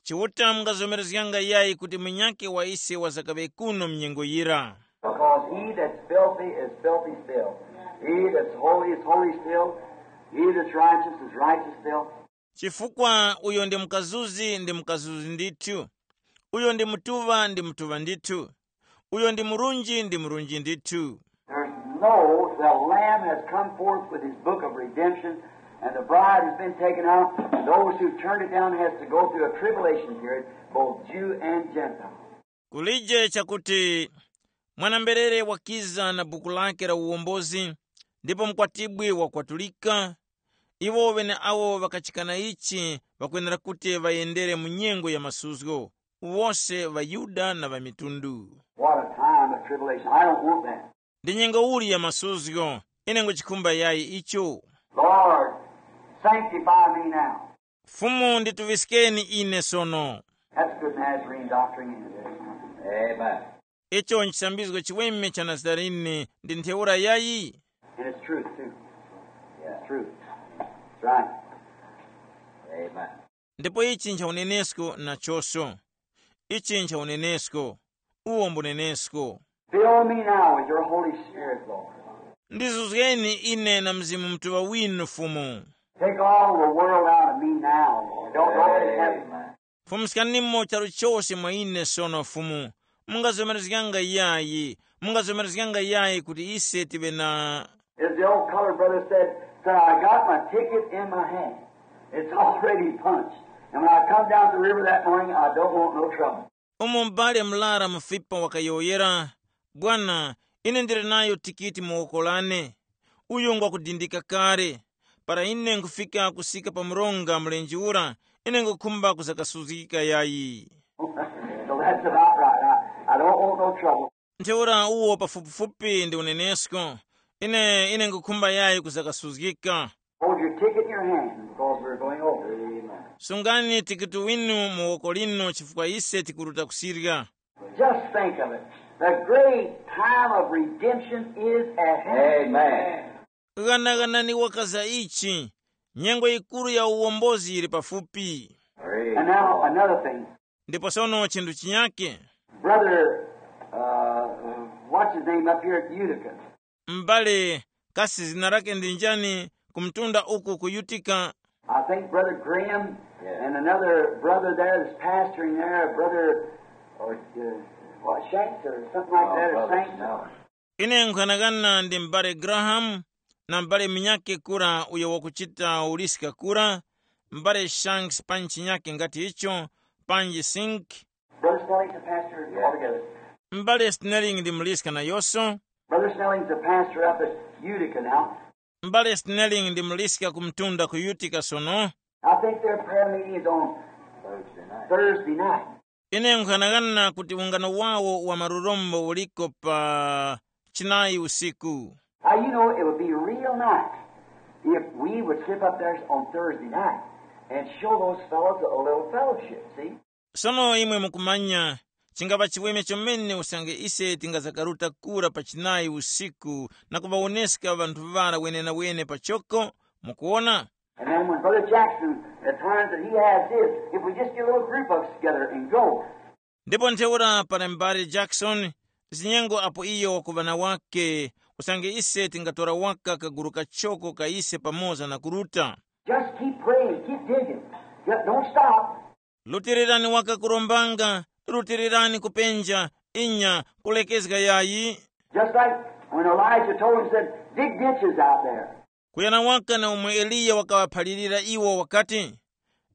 Chiuta mungazomerezganga yayi kuti munyakhe wa ise wazakaŵe kuno mnyengo yira. Because he that's filthy is filthy still. He that's holy is holy still. He that's righteous is righteous still. Chifukwa uyo ndi mkazuzi ndi mkazuzi ndithu, uyo ndi mutuŵa ndi mutuŵa ndithu, uyo ndi murunji ndi murunji ndithu. There's no, the Lamb has come forth with his book of redemption, and the bride has been taken out. Those who turned it down has to go through a tribulation period, both Jew and Gentile. Kulije chakuti mwanamberere wakiza na buku lake la uwombozi, ndipo mkwatibwi wakwatulika. Iwo ŵeneawo ŵakachikana ichi ŵakwenera kuti ŵayendere mu nyengo ya masuzgo, wose ŵaYuda na ŵamitundu. What a time of tribulation. I don't want that. Ndi nyengo uli ya masuzgo? Ine nguchikhumba yayi icho. Lord, sanctify me now. Fumu, ndituŵiskeni ine sono. That's good Nazarene doctrine, isn't it? Amen. Icho nchisambizgo chiweme cha Nazarene ndi ntheura yayi? And it's truth, too. It's truth. That's right. Amen. Ndipo ichi ncha unenesko nachonso. Ichi ncha unenesko. Uwo mbunenesko. Fill me now with your Holy Spirit, Lord. Ndizuzgeni ine na Mzimu Mutuŵa winu, Fumu. Take all the world out of me now, Lord. Don't, don't let it happen. Fumuskanimo charu chose mwa ine sono, Fumu. Mungazomerezganga yayi, mungazomerezganga yayi kuti ise tive na As the old colored brother said, "Sir, I got my ticket in my hand. It's already punched. And when I come down the river that morning, I don't want no trouble." Umo m'bale mlara mufipa wakayowoyera, "Bwana, ine ndili nayo tikiti mu woko lane. Uyu ngwakudindika kale. Para ine nkufika kusika pa mronga mlenje ura, ine ngukhumba kuzakasuzgika yayi." So that's about right. I, I don't want no trouble. Ntheura uwo pafupifupi ndi unenesko. Ine, ine ngukhumba yayi kuzakasuzgika. Hold your ticket in your hand because we're going over. Amen. Sungani tikiti winu mu woko linu chifukwa ise tikuruta kusirya. Just think of it. The great time of redemption is at hand. Amen. Ghanaghanani waka za ichi, nyengo yikuru ya uwombozi yili pafupi. And now another thing. Ndipo sono chinthu chinyake. Brother, uh, what's his name up here at Utica? M'bale, kasi zina lake ndi njani? Ku mtunda uku ku Utica. I think Brother Graham and another brother there is pastoring there, Brother, or, uh, what, Shanks or something like that, or Saint. Ine nkhanakana ndi m'bale Graham na m'bale munyake kura uyo wakuchita uliska kura, m'bale Shanks panji chinyake ngati icho, panji Sink. Brother Snelling's a pastor altogether. M'bale Snelling ndi muliska nayonso. Brother Snelling's a pastor up at Utica now. M'bale Snelling ndi muliska ku mtunda ku Utica sono. I think their prayer meeting is on Thursday night. Ine nkhanakana kuti ungano wawo wa marurombo uliko pa chinayi usiku. Now, you know, it would be real nice if we would slip up there on Thursday night and show those fellows a little fellowship, see? Sono imwe mukumanya, chingapa chiweme chomene usange ise tingazakaruta kura pa chinayi usiku na kuŵawoneska ŵanthu ŵara wenenawene pachoko, mukuwona? And then when Brother Jackson, at times that he has his, if we just get a little group of us together and go. Ndipo ntheura para m'bale Jackson, zinyengo apo iyo wakuŵa na wake, usange ise tingatora waka kaguru kachoko ka ise pamoza na kuruta. Just keep praying, keep digging. Just don't stop. Rutilirani waka kurombanga, rutilirani kupenja, inya, kulekezga yayi. Just like when Elijah told him, said, "Dig ditches out there." Kuyana waka na umwe Eliya wakaŵaphalirira iwo wakati,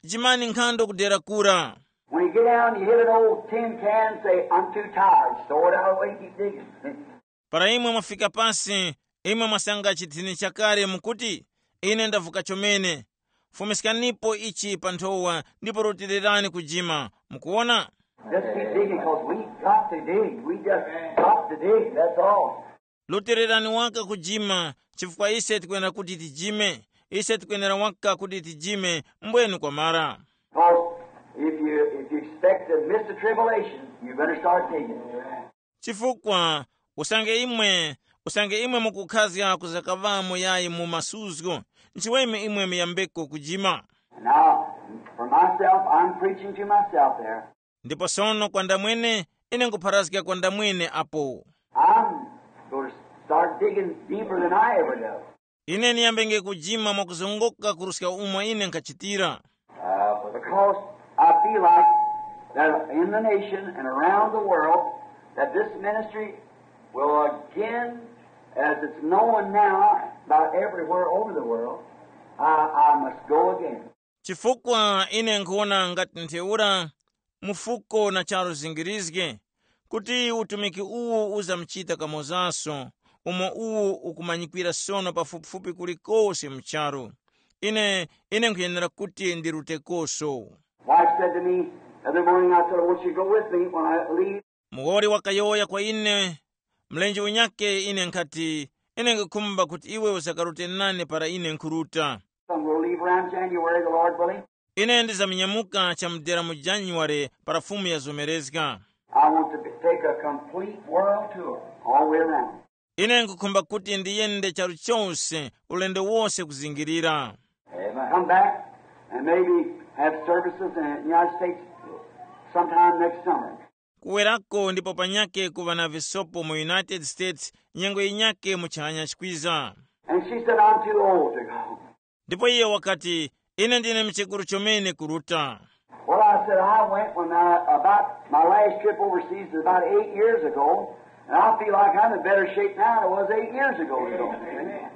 "Jimani nkhando kudera kura." When you get down, you hit an old tin can and say, "I'm too tired." Throw it out away and keep digging. Para imwe mwafika pasi, imwe mwasanga chithini chakale mukuti, "Ine ndavuka chomene." Fumiskanipo ichi pa nthowa ndipo rutilirani kujima. Mukuwona? Just keep digging because we got to dig. We just got to dig. That's all. Rutilirani waka kujima, chifukwa ise tikwenera kuti tijime. Ise tikwenera waka kuti tijime, mbwenu kwamara. Because if you, if you expect to miss the tribulation, you better start digging. Chifukwa usange imwe, usange imwe mukukhazga kuzakaŵamo yayi mu masuzgo, nchiweme imwe muyambeko kujima. And now, for myself, I'm preaching to myself there. Ndipo sono kwa ndamwene, ine nkupharazga kwa ndamwene apo. I'm going to start digging deeper than I ever dug. Ine niyambenge kujima mwakuzongoka kuruska umo ine nkhachitira. Because I feel like that in the nation and around the world, that this ministry will again, as it's known now about everywhere over the world, I, I must go again. Chifukwa ine nkhuwona ngati ntheura mufuko na charu zingirizge, kuti utumiki uwu uzamuchita kamozaso, umo uwu ukumanyikwira sono pafupifupi kulikose mu charu. Ine, ine nkhuyenera kuti ndirutekoso. Wife said to me the other morning, I said, "I want you to go with me when I leave." Muwoli wakayowoya kwa ine, mlenje unyake, ine nkhati, "Ine nkhukhumba kuti iwe uzakarute nane para ine nkhuruta." I'm going to leave around January, the Lord willing. Ine ndizamunyamuka chamudera mu January para Fumu yazomerezga. I want to be, take Take a complete world tour all the way around. Ine nkukhumba kuti ndiyende charu chose ulendo wose kuzingirira. Amen. Come back and maybe have services in the United States sometime next summer. Kuwerako ndipo panyake kuva na visopo mu United States nyengo yinyake mu chihanya chikwiza. And she said, "I'm too old to go." Ndipo iye wakati, "Ine ndine mchekuru chomene kuruta." Well, I said, I went when I, about my last trip overseas was about eight years ago, and I feel like I'm in better shape now than I was eight years ago. Amen.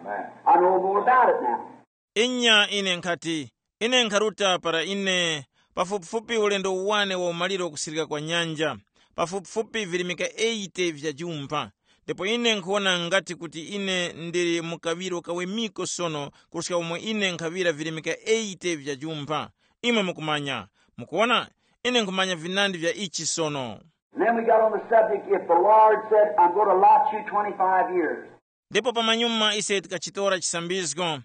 I know more about it now. Inya ine nkhati, ine nkharuta para ine pafupifupi ulendo uwane wa umaliro kusirika kwa nyanja, pafupifupi virimika eighty vya jumpha. Ndipo ine nkhuwona ngati kuti ine ndili mu kaŵiro kawemiko sono kuruska umo ine nkhaŵira virimika eighty vya jumpha. Imwe mukumanya, mukuwona, ine nkhumanya vinandi vya ichi sono. And then we got on the subject, if the Lord said, "I'm going to allot you twenty-five years." Ndipo pamanyuma ise tikachitora chisambizgo,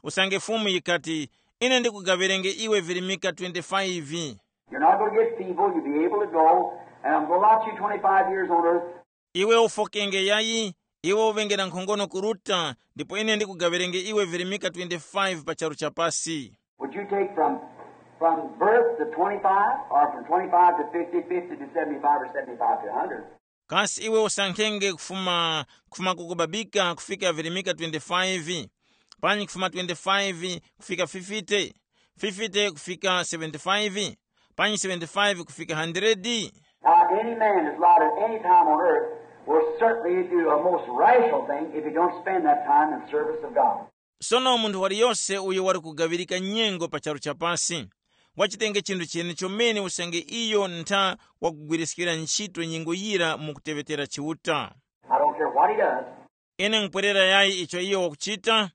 usange Fumu yikati, "Ine ndikugaŵerenge iwe virimika twenty-five." You're not going to get feeble. You'll be able to go. And I'm going to allot you twenty-five years on earth. Iwe ufokenge yayi, iwe uŵenge na nkhongono kuruta, ndipo ine ndikugaŵerenge iwe virimika twenty-five pa charu cha pasi. Would you take from, from birth to twenty-five, or from twenty-five to fifty, fifty to seventy-five, or seventy-five to a hundred? Kasi iwe usankhenge kufuma, kufuma kukubabika kufika virimika twenty-five, panyi kufuma twenty-five kufika fifty, fifty kufika seventy-five, panyi seventy-five kufika hundred? Now, any man that's allowed at any time on earth will certainly do a most rational thing if he don't spend that time in service of God. Sono munthu waliyose uyo wali kugaŵirika nyengo pa charu cha pasi, wachitenge chinthu chene chomene usange iyo ntha wakugwiriskira ntchito nyengo yira mu kuteŵetera Chiuta. I don't care what he does. Ine nkupwerera yayi icho iyo wakuchita.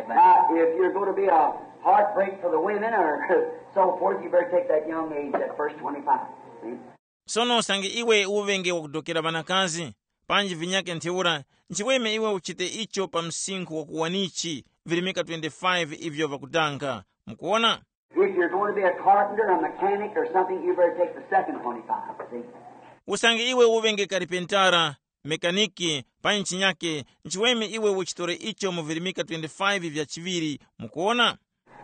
Now, if you're going to be a heartbreak for the women or so forth, you better take that young age, that first twenty-five. See? Sono usange iwe uŵenge wakudokera ŵanakazi, panji vinyake ntheura, nchiweme iwe uchite icho pa msinkhu wa kuwanichi, virimika twenty-five ivyo ŵakudanga. Mukuwona? If you're going to be a carpenter, a mechanic, or something, you better take the second twenty-five. See? Usange iwe uŵenge karipentara, mekaniki, panji chinyake, nchiweme iwe uchitore icho mu virimika twenty-five vya chiŵiri. Mukuwona?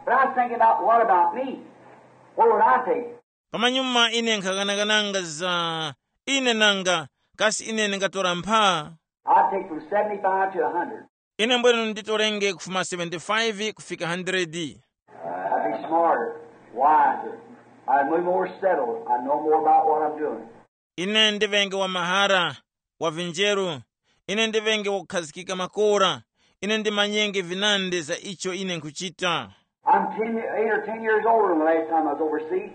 But I was thinking about, what about me? What would I take? Pamanyuma ine nkhaganagananga za ine nanga, kasi ine ndingatora mpha? I'd take from seventy-five to a hundred. Ine mbwenu nditorenge kufuma seventy-five kufika hundred. I'd be smarter, wiser. I'd be more settled. I know more about what I'm doing. Ine ndiŵenge wa mahara, wa vinjeru. Ine ndiŵenge wakukhazikika makora. Ine ndimanyenge vinandi za icho ine nkhuchita. I'm ten, eight or ten years older than the last time I was overseas.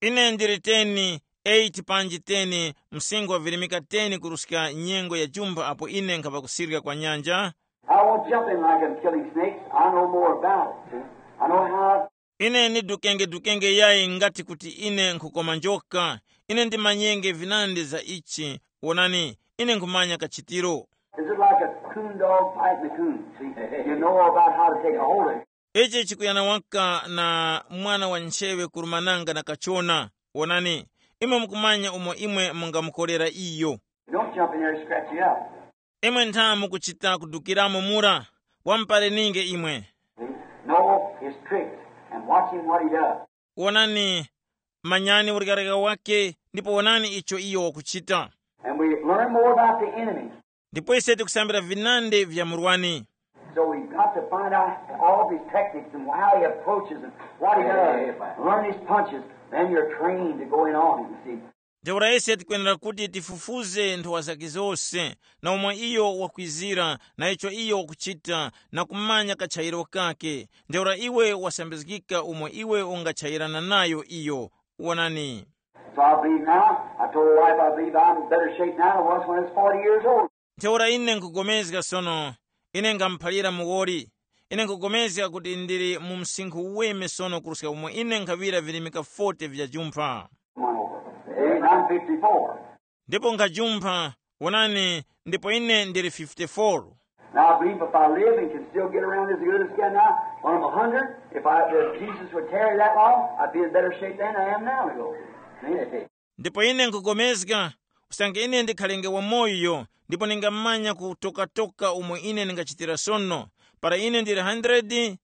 Ine ndili ten, eight panji ten, msinkhu wa virimika ten kuruska nyengo ya jumpha apo ine nkhapa kusirika kwa nyanja. I won't jump in like I'm killing snakes. I know more about it. See? I know how. Ine ndidukenge-dukenge yayi ngati kuti ine nkhukoma njoka. Ine ndimanyenge vinandi za ichi. Wonani, ine nkhumanya kachitiro. Is it like a coon dog fighting a coon? See, you know about how to take a hold of it. Ichi chikuyana waka na mwana wa nchewe kurumananga na kachona. Wonani, imwe mukumanya umo imwe mungamukorera iyo. Don't jump in there and scratch you up. Imwe ntha mukuchita kudukiramo mura, wamupareninge imwe. See? Know his tricks and watch him what he does. Wonani, manyani ulekareka wake, ndipo wonani icho iyo wakuchita. And we learn more about the enemy. Ndipo ise tikusambira vinandi vya murwani. So we've got to find out all of his tactics and how he approaches and what he does. Amen. Learn his punches. Then you're trained to go in on him, see. Ntheura ise tikwenera kuti tifufuze nthowa zake zose, na umo iyo wakwizira, na icho iyo wakuchita, na kumanya kachayiro kake. Ntheura iwe wasambizgika umo iwe ungachayirana nayo iyo. Wonani. So I believe now, I told the wife I believe I'm in better shape now than I was when I was forty years old. Ntheura ine nkugomezga sono, ine ngamuphalira muwoli. Ine nkugomezga kuti ndili mu msinkhu uweme sono kuruska umo ine nkhaŵira virimika forty vya jumpha. One over. Amen. I'm fifty-four. Ndipo nkhajumpha, wonani, ndipo ine ndili fifty-four. Now I believe if I live and can still get around as good as can now, when I'm a hundred, if I, if Jesus would tarry that long, I'd be in better shape than I am now to go. See? Ndipo ine nkugomezga, Usange ine ndikhalenge wamoyo, ndipo ningamanya kutokatoka umo ine ndingachitira sono, para ine ndili hundred,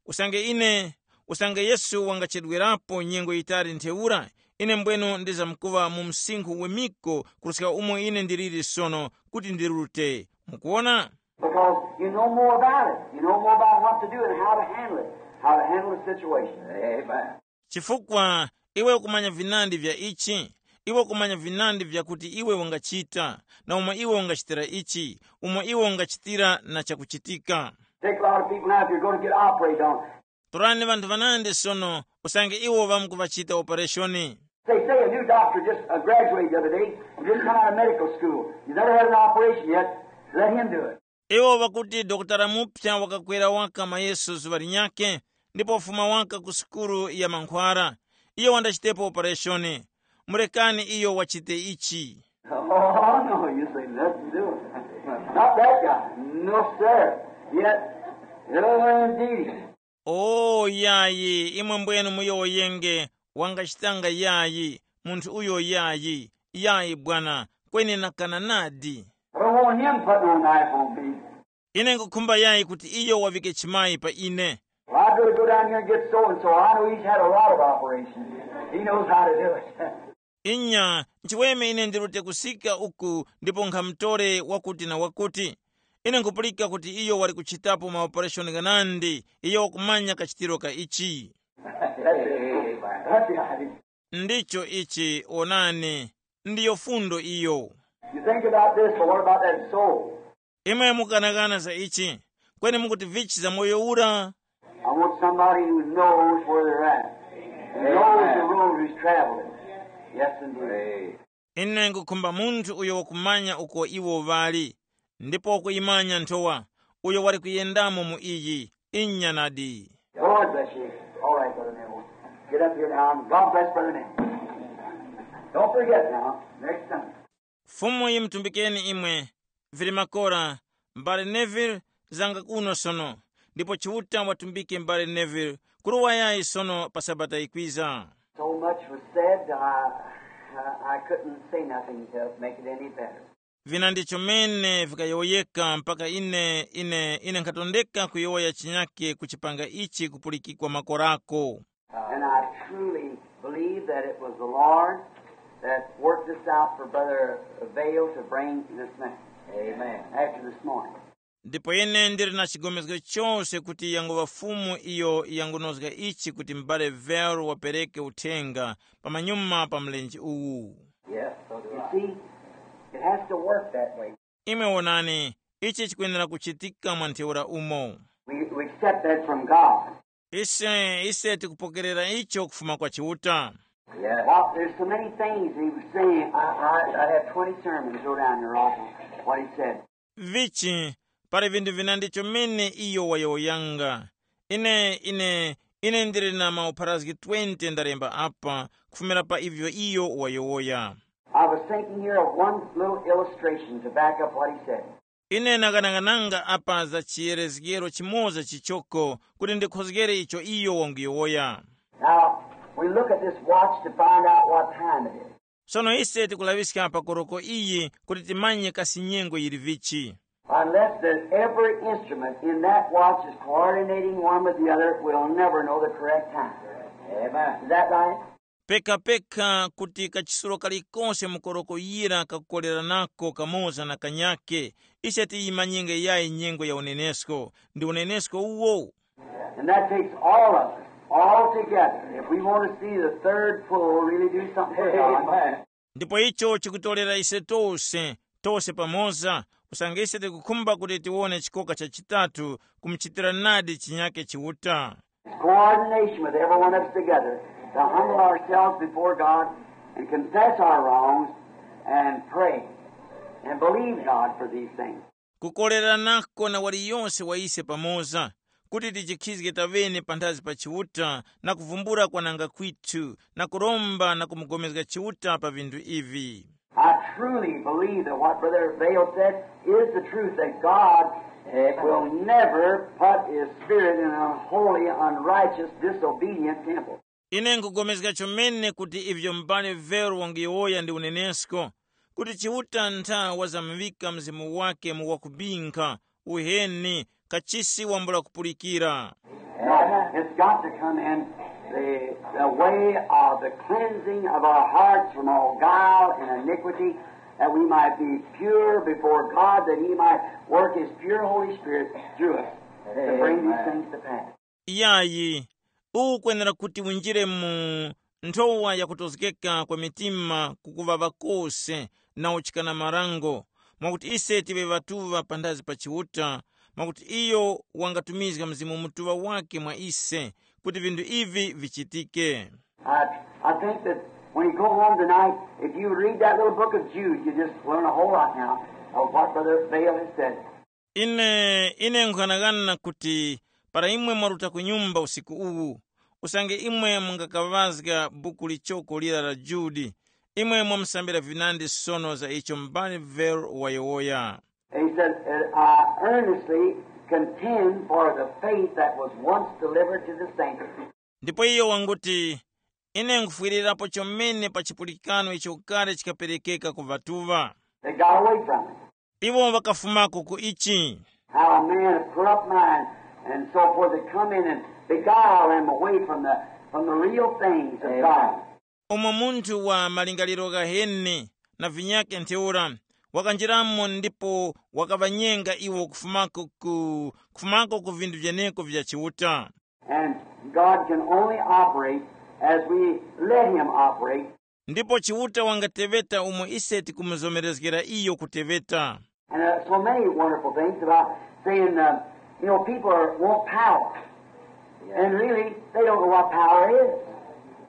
usange ine, usange Yesu wangachedwerapo nyengo yitali ntheura, ine mbwenu ndizamkuŵa mu msinkhu wemiko kuruska umo ine ndiliri sono kuti ndirute. Mukuwona? Because you know more about it. You know more about what to do and how to handle it, how to handle the situation. Amen. Chifukwa iwe ukumanya vinandi vya ichi, iwe ukumanya vinandi vyakuti iwe ungachita, na umo iwe ungachitira ichi, umo iwe ungachitira na chakuchitika. Take a lot of people now, if you're going to get operated on, Torani vanthu vanandi sono, usange iwo ŵamkuvachita opereshoni. They say a new doctor just uh, graduated the other day and just come out of medical school. He's never had an operation yet. Let him do it. Iwo ŵakuti dokotala mupya wakakwera waka mayeso zuŵa linyakhe, ndipo wafuma waka ku sukulu ya mankhwara. Iyo wandachitepo opereshoni. Murekani iyo wachite ichi. Oh, no, you say nothing to it. Not that guy. No, sir. Yet, no, indeed. O yayi, imwe mbwenu muyowoyenge, wangachitanga yayi, munthu uyo yayi, yayi bwana, kweni nakana nadi. I don't want him putting a knife on me. Ine nkukhumba yayi kuti iyo wavike chimayi pa ine. Well, I'd rather go down here and get so and so. I know he's had a lot of operations. He knows how to do it. Inya, nchiweme ine ndirute kusika uku ndipo nkhamutore wakuti na wakuti. Ine nkupulika kuti iyo wali kuchitapo maopereshoni ghanandi, iyo wakumanya kachitiro ka ichi. That's the idea. Ndicho ichi, onani, ndiyo fundo iyo. You think about this, but what about that soul? Imwe mukanakana za ichi, kweni mukuti vichi za moyo ura? I want somebody who knows where they're at. Who knows the road who's traveling. Yes, indeed. Ine nkukhumba munthu uyo wakumanya uko iwo ŵali, ndipo wakuyimanya nthowa, uyo wali kuyendamo mu iyi. Inya nadi. Lord bless you. All right, Brother Neville. Get up here now. God bless Brother Neville. Don't forget now. Next Sunday. Fumu yimutumbikeni imwe. Vili makora, m'bale Neville, zanga kuno sono, ndipo Chiuta watumbike m'bale Neville, kuruwa yayi sono pa Sabata yikwiza. So much was said, I, I, I couldn't say nothing to make it any better. Vina ndicho mene vikayowoyeka mpaka ine ine ine nkhatondeka kuyowoya chinyake kuchipanga ichi kupulikikwa makorako. And I truly believe that it was the Lord that worked this out for Brother Vail to bring this message. Amen. After this morning. Ndipo ine ndili na chigomezgo chose kuti yanguŵa Fumu iyo yangunozga ichi kuti m'bale Vero wapereke uthenga pamanyuma pa mlenje uwu. Yes, so do I. You see, it has to work that way. Imwe wonani, ichi chikwenera kuchitika mwa ntheura umo. We, we accept that from God. Ise ise tikupokerera icho kufuma kwa Chiuta. Yes. Well, there's so many things he was saying. I, I, I had twenty sermons go down here off of what he said. Vichi, pali vinthu vinandi chomene iyo wayowoyanga. Ine ine ine ndili na maupharazgi twenty ndalemba apa kufumira pa ivyo iyo wayowoya. I was thinking here of one little illustration to back up what he said. Ine nakanang'ananga apa za chiyerezgero chimoza chichoko kuti ndikhozgere icho iyo wanguyowoya. Now, we look at this watch to find out what time it is. Sono ise tikulaŵiska pa koroko iyi kuti timanye kasi nyengo yili vichi. Unless there's every instrument in that watch is coordinating one with the other, we'll never know the correct time. Amen. Is that right? Pekapeka kuti kachisulo kalikonse mu koroko yira kakukoleranako kamoza na kanyake, ise tiyimanyenge yayi nyengo ya unenesko. Ndi unenesko uwo. And that takes all of us, all together, if we want to see the third pull really do something for God. Amen. Ndipo icho chikutolera ise tose, tose pamoza, usange ise tikukhumba kuti tiwone chikoka cha chitatu kumuchitira nadi chinyake Chiuta. Coordination with every one of us together to humble ourselves before God and confess our wrongs and pray and believe God for these things. Kukoleranako na waliyonse wa ise pamoza, kuti tichikhizge tavene panthazi pa Chiuta na kuvumbula kwananga kwithu na kuromba na kumugomezga Chiuta pa vinthu ivi. I truly believe that what Brother Vail said is the truth, that God will never put his spirit in an unholy, unrighteous, disobedient temple. Ine nkugomezga chomene kuti ivyo m'bale Vero wangiyowoya ndi unenesko, kuti Chiuta ntha wazamuŵika Mzimu wake mu wakubinkha, uheni, kachisi wambula kupulikira. No, it's got to come in the, the way of the cleansing of our hearts from all guile and iniquity, that we might be pure before God, that He might work His pure Holy Spirit through us to bring these things to pass. Iyayi, uwu ukwenera kuti winjire mu nthowa yakutozgeka kwa mitima kukuŵaŵa kose na uchikana marango, mwakuti ise tive ŵatuŵa panthazi pa Chiuta, mwakuti iyo wangatumizga Mzimu Mutuŵa wake mwa ise, kuti vinthu ivi vichitike. I, I think that when you go home tonight, if you read that little book of Jude, you just learn a whole lot now of what Brother Vayle has said. Ine ine nkhanagana kuti para imwe mwaruta ku nyumba usiku uwu, usange imwe mungakaŵazga buku lichoko lira la Judi, imwe mwamusambira vinandi sono za icho m'bale Vayle wayowoya. And he said, "I earnestly contend for the faith that was once delivered to the saints." Ndipo iyo wanguti, ine nkhufwirirapo chomene pa chipulikano icho kale chikaperekeka ku ŵatuŵa. They got away from it. Iwo ŵakafumako ku ichi. How a man of corrupt mind and so forth had come in and beguiled them away from the, from the real things of God. Umo munthu wa malingaliro ghaheni na vinyakhe ntheura wakanjiramo ndipo wakaŵanyenga iwo kufumako ku kufumako ku vinthu vyeneko vya Chiuta. And God can only operate as we let Him operate. Ndipo Chiuta wangateŵeta umo ise tikumuzomerezgera iyo kuteŵeta. And uh, so many wonderful things about saying, uh, you know, people are, want power. And really, they don't know what power is.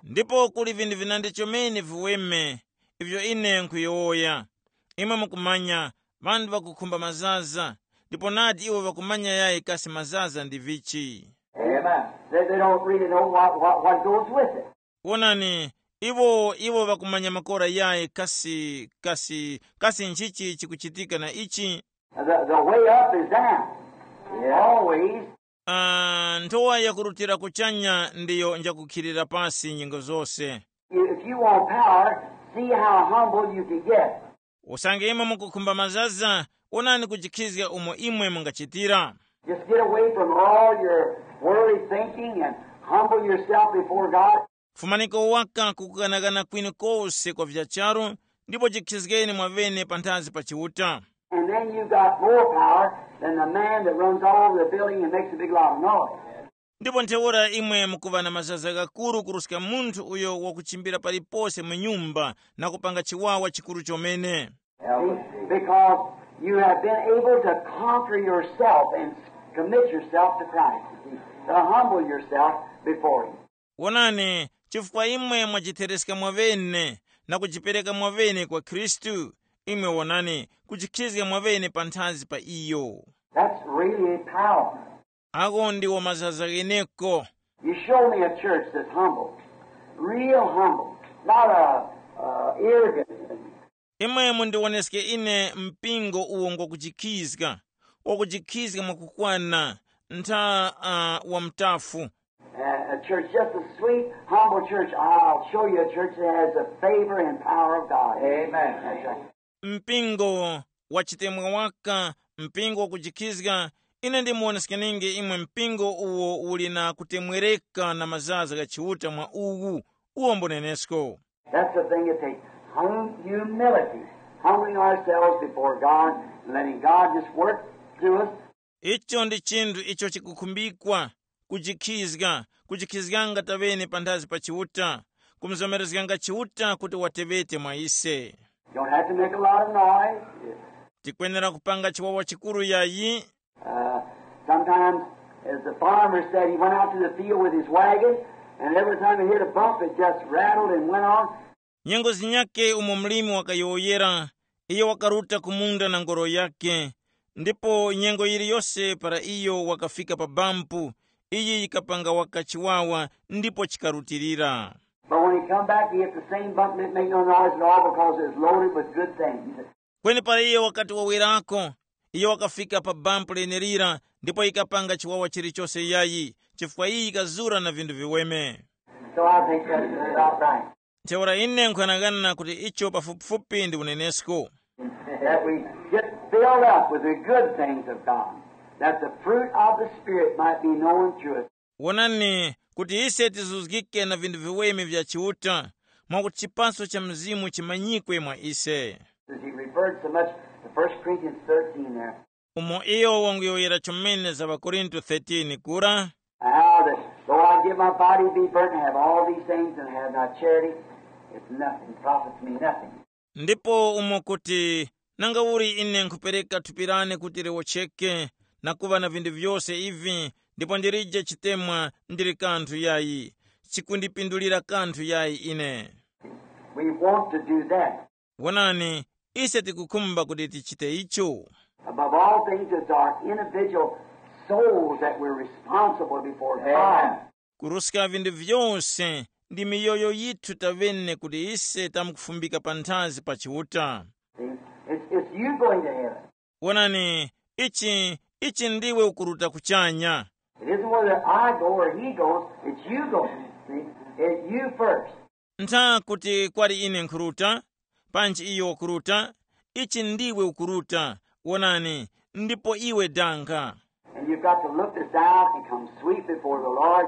Ndipo kuli vinthu vinandi chomene viweme ivyo ine nkhuyowoya. Imwe mukumanya, ŵanthu ŵakukhumba mazaza, ndipo nadi iwo ŵakumanya yayi kasi mazaza ndi vichi. Amen. They, they don't really know what, what, what goes with it. Wonani, iwo iwo ŵakumanya makora yayi kasi kasi kasi nchichi chikuchitika na ichi. The, the way up is down. Always. Ah, nthowa yakurutira kuchanya ndiyo njakukhilira pasi nyengo zose. If you want power, see how humble you can get. Usange imwe mukukhumba mazaza, wonani kujikhizga umo imwe mungachitira. Just get away from all your worldly thinking and humble yourself before God. Fumaniko waka kukukanakana kwinu kose kwa vya charu, ndipo jikhizgeni mwavene panthazi pa Chiuta. And then you got more power than the man that runs all over the building and makes a big lot of noise. Ndipo ntheura imwe mukuŵa na mazaza ghakuru kuruska munthu uyo wakuchimbira palipose mu nyumba na kupanga chiwawa chikuru chomene. See? Because you have been able to conquer yourself and commit yourself to Christ. You see, to humble yourself before Him. Wonani, chifukwa imwe mwajithereska mwavene na kujipereka mwavene kwa Khristu, imwe wonani, kujikhizga mwavene panthazi pa iyo. That's really power. Ako ndiwo mazaza gheneko. You show me a church that's humble, real humble, not a, uh, arrogant. Imwe mundiwoneske ine mpingo uwo ngwakujikhizga, wakujikhizga mwakukwana, ntha uh, wa mtafu. Uh, a church just a sweet, humble church. I'll show you a church that has the favor and power of God. Amen. That's right. Mpingo wachitemwa waka, mpingo wakujikhizga, ine ndimuwoneskeninge imwe mpingo uwo uli na kutemwereka na mazaza gha Chiuta mwa uwu, uwo mbunenesko. That's the thing it takes. Hum- humility, humbling ourselves before God and letting God just work through us. Icho ndi chinthu icho chikukhumbikwa, kujikhizga, kujikhizganga tavene panthazi pa Chiuta, kumuzomerezganga Chiuta kuti watevete mwa ise. You don't have to make a lot of noise. Tikwenera kupanga chiwawa chikuru yayi. Uh, sometimes, as the farmer said, he went out to the field with his wagon, and every time he hit a bump, it just rattled and went on. Nyengo zinyake umo mlimi wakayowoyera, iyo wakaruta ku munda na ngoro yake, ndipo nyengo yiliyose para iyo wakafika pa bampu, iyi yikapanga waka chiwawa ndipo chikarutilira. But when he come back, he hit the same bump and it make no noise at all because it was loaded with good things. Kweni para iyo wakati wawerako, iyo wakafika pa bampu lenelira ndipo yikapanga chiwawa chilichose yayi, chifukwa iyi yikazura na vinthu viweme. So I think that's about right. Ntheura ine nkhuyang'ana kuti icho pafupifupi ndi unenesko. That we get filled up with the good things of God, that the fruit of the Spirit might be known to us. Wonani kuti ise tizuzgike na vinthu viweme vya Chiuta, mwakuti chipaso cha Mzimu chimanyikwe mwa ise. As he referred so much to First Corinthians thirteen there. Umo iyo wanguyowoyera chomene za ŵakorinto thirteen kura. How that, though I give my body to be burnt and have all these things and have not charity, it's nothing, profits me nothing. Ndipo umo kuti, nanga uli ine nkhupereka thupi lane kuti liwocheke, na kuŵa na vinthu vyose ivi, ndipo ndilije chitemwa, ndili kanthu yayi, chikundipindulira kanthu yayi ine. We want to do that. Wonani, ise tikukhumba kuti tichite icho. Above all things, it's our individual souls that we're responsible before God. Kuruska vinthu vyose, ndi miyoyo yithu tavene kuti ise tamkufumbika panthazi pa Chiuta. See? It's, it's you going to heaven. Wonani, ichi ichi ndiwe ukuruta kuchanya. It isn't whether I go or he goes, it's you going. See? It's you first. Ntha kuti kwali ine nkhuruta, panji iyo wakuruta, ichi ndiwe ukuruta. Wonani, ndipo iwe danga. And you've got to look this out and come sweet before the Lord.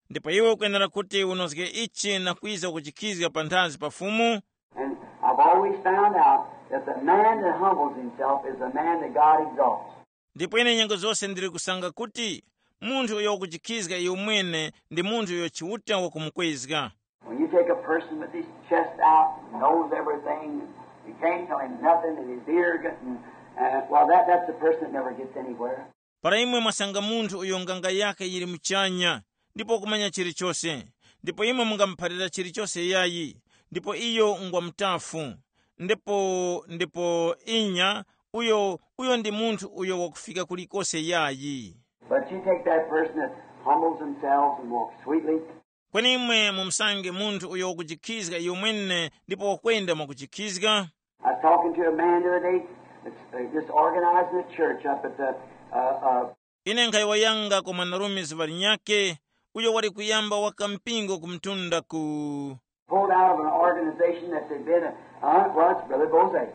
Ndipo iwe ukuyenera kuti unozge ichi na kwiza kuchikhizga panthazi pa Fumu. And I've always found out that the man that humbles himself is the man that God exalts. Ndipo ine nyengo zose ndili kusanga kuti munthu uyo wakuchikhizga iyo mwene ndi munthu uyo Chiuta wakumukwezga. When you take a person with his chest out, knows everything, you can't tell him nothing, and his ear, and, uh, well, that, that's a person that never gets anywhere. Para imwe mwasanga munthu uyo nganga yake yili muchanya, ndipo kumanya chilichose, ndipo imwe mungamuphalira chilichose yayi, ndipo iyo ngwa mutafu, ndipo ndipo inya, uyo uyo ndi munthu uyo wakufika kulikose yayi. But you take that person that humbles themselves and walks sweetly. Kweni imwe mumusange munthu uyo wakujikhizga iyo mwene ndipo wakwenda mwakujikhizga. I was talking to a man the other day that's uh, just organizing a church up at the uh, uh, Ine nkhayowoyanga kwa mwanarume zuŵa linyakhe, uyo wali kuyamba waka mpingo ku mtunda ku pulled out of an organization that they'd been in. Uh, well, it's Brother Bose.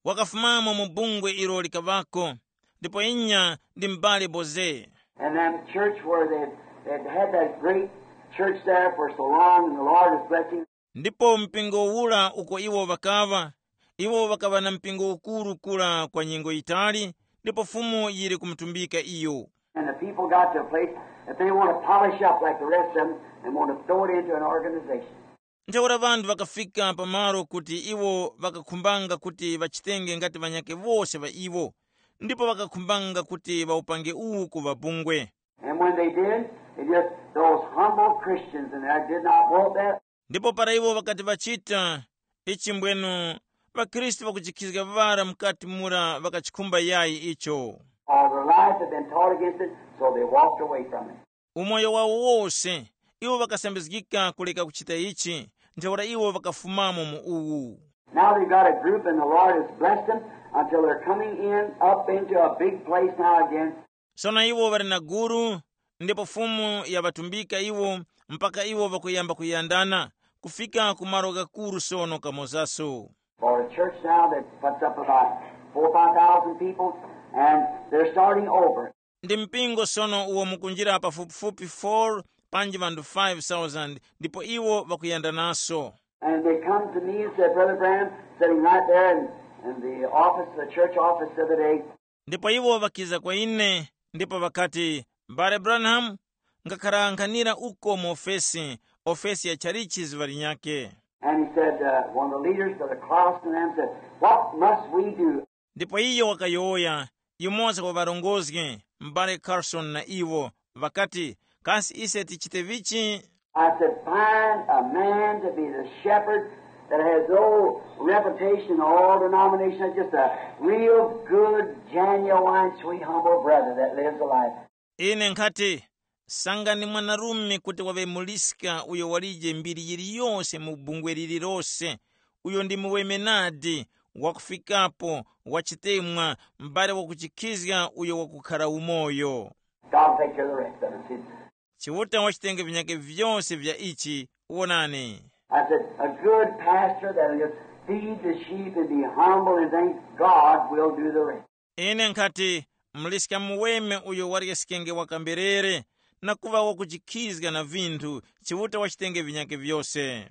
Wakafumamo mu bungwe ilo likaŵako, ndipo inya ndi m'bale Boze. And then church where they they'd had that great church there for so long, and the Lord was blessing. Ndipo mpingo ula uko iwo ŵakaŵa, iwo ŵakaŵa na mpingo ukuru kura kwa nyengo yitali, ndipo Fumu yili kumutumbika iyo. And the people got to a place that they want to polish up like the rest of them and want to throw it into an organization. Ntheura ŵanthu ŵakafika pamalo kuti iwo ŵakakhumbanga kuti ŵachitenge ngati ŵanyakhe wose ŵa iwo, ndipo ŵakakhumbanga kuti ŵawupange uwu kuŵa bungwe. And when they did, it just those humble Christians in there did not want that. Ndipo para iwo ŵakati ŵachita ichi mbwenu, ŵakhristu ŵakujikhizga ŵara mukati mura ŵakachikhumba yayi icho. All their life had been taught against it, so they walked away from it. Umoyo wawo wose, iwo ŵakasambizgika kuleka kuchita ichi, ntheura iwo ŵakafumamo mu uwu. Now they've got a group, and the Lord has blessed them until they're coming in up into a big place now again. Sono iwo ŵali na gulu, ndipo Fumu yaŵatumbika iwo mpaka iwo ŵakuyamba kuyandana, kufika ku malo ghakuru sono kamozaso. For a church now that puts up about four or five thousand people, and they're starting over. Ndi mpingo sono uwo mukunjira pafupifupi four panji ŵanthu five thousand, ndipo iwo ŵakuyandanaso. And they come to me and said, Brother Branham, sitting right there in, in the office, the church office the other day, Ndipo iwo ŵakiza kwa ine, ndipo ŵakati, M'bale Branham, ngakharankhanira uko mu ofesi, ofesi ya tchalichi zuŵa linyakhe. And he said, uh, one of the leaders, Brother Carlson, and them said, What must we do? Ndipo iyo wakayowoya, yumoza wa ŵarongozgi, m'bale Carson na iwo, ŵakati, kasi ise tichite vichi? I said, Find a man to be the shepherd that has no reputation in all denominations, just a real good, genuine, sweet, humble brother that lives a life. Ine nkhati, sangani mwanarume kuti waŵe muliska uyo walije mbiri yiliyose mu bungwe lililose, uyo ndi muweme nadi, wakufikapo, wachitemwa, m'bale wakuchikhizga uyo wakukhara umoyo. God will take care of the rest of it. See? Chiuta wachitenge vinyakhe vyose vya ichi, wonani. I said, a good pastor that'll just feed the sheep and be humble and things, God will do the rest. Ine nkhati, mliska muweme uyo waryeskenge wakamberere na kuŵa wakuchikhizga na vinthu, Chiuta wachitenge vinyakhe vyose.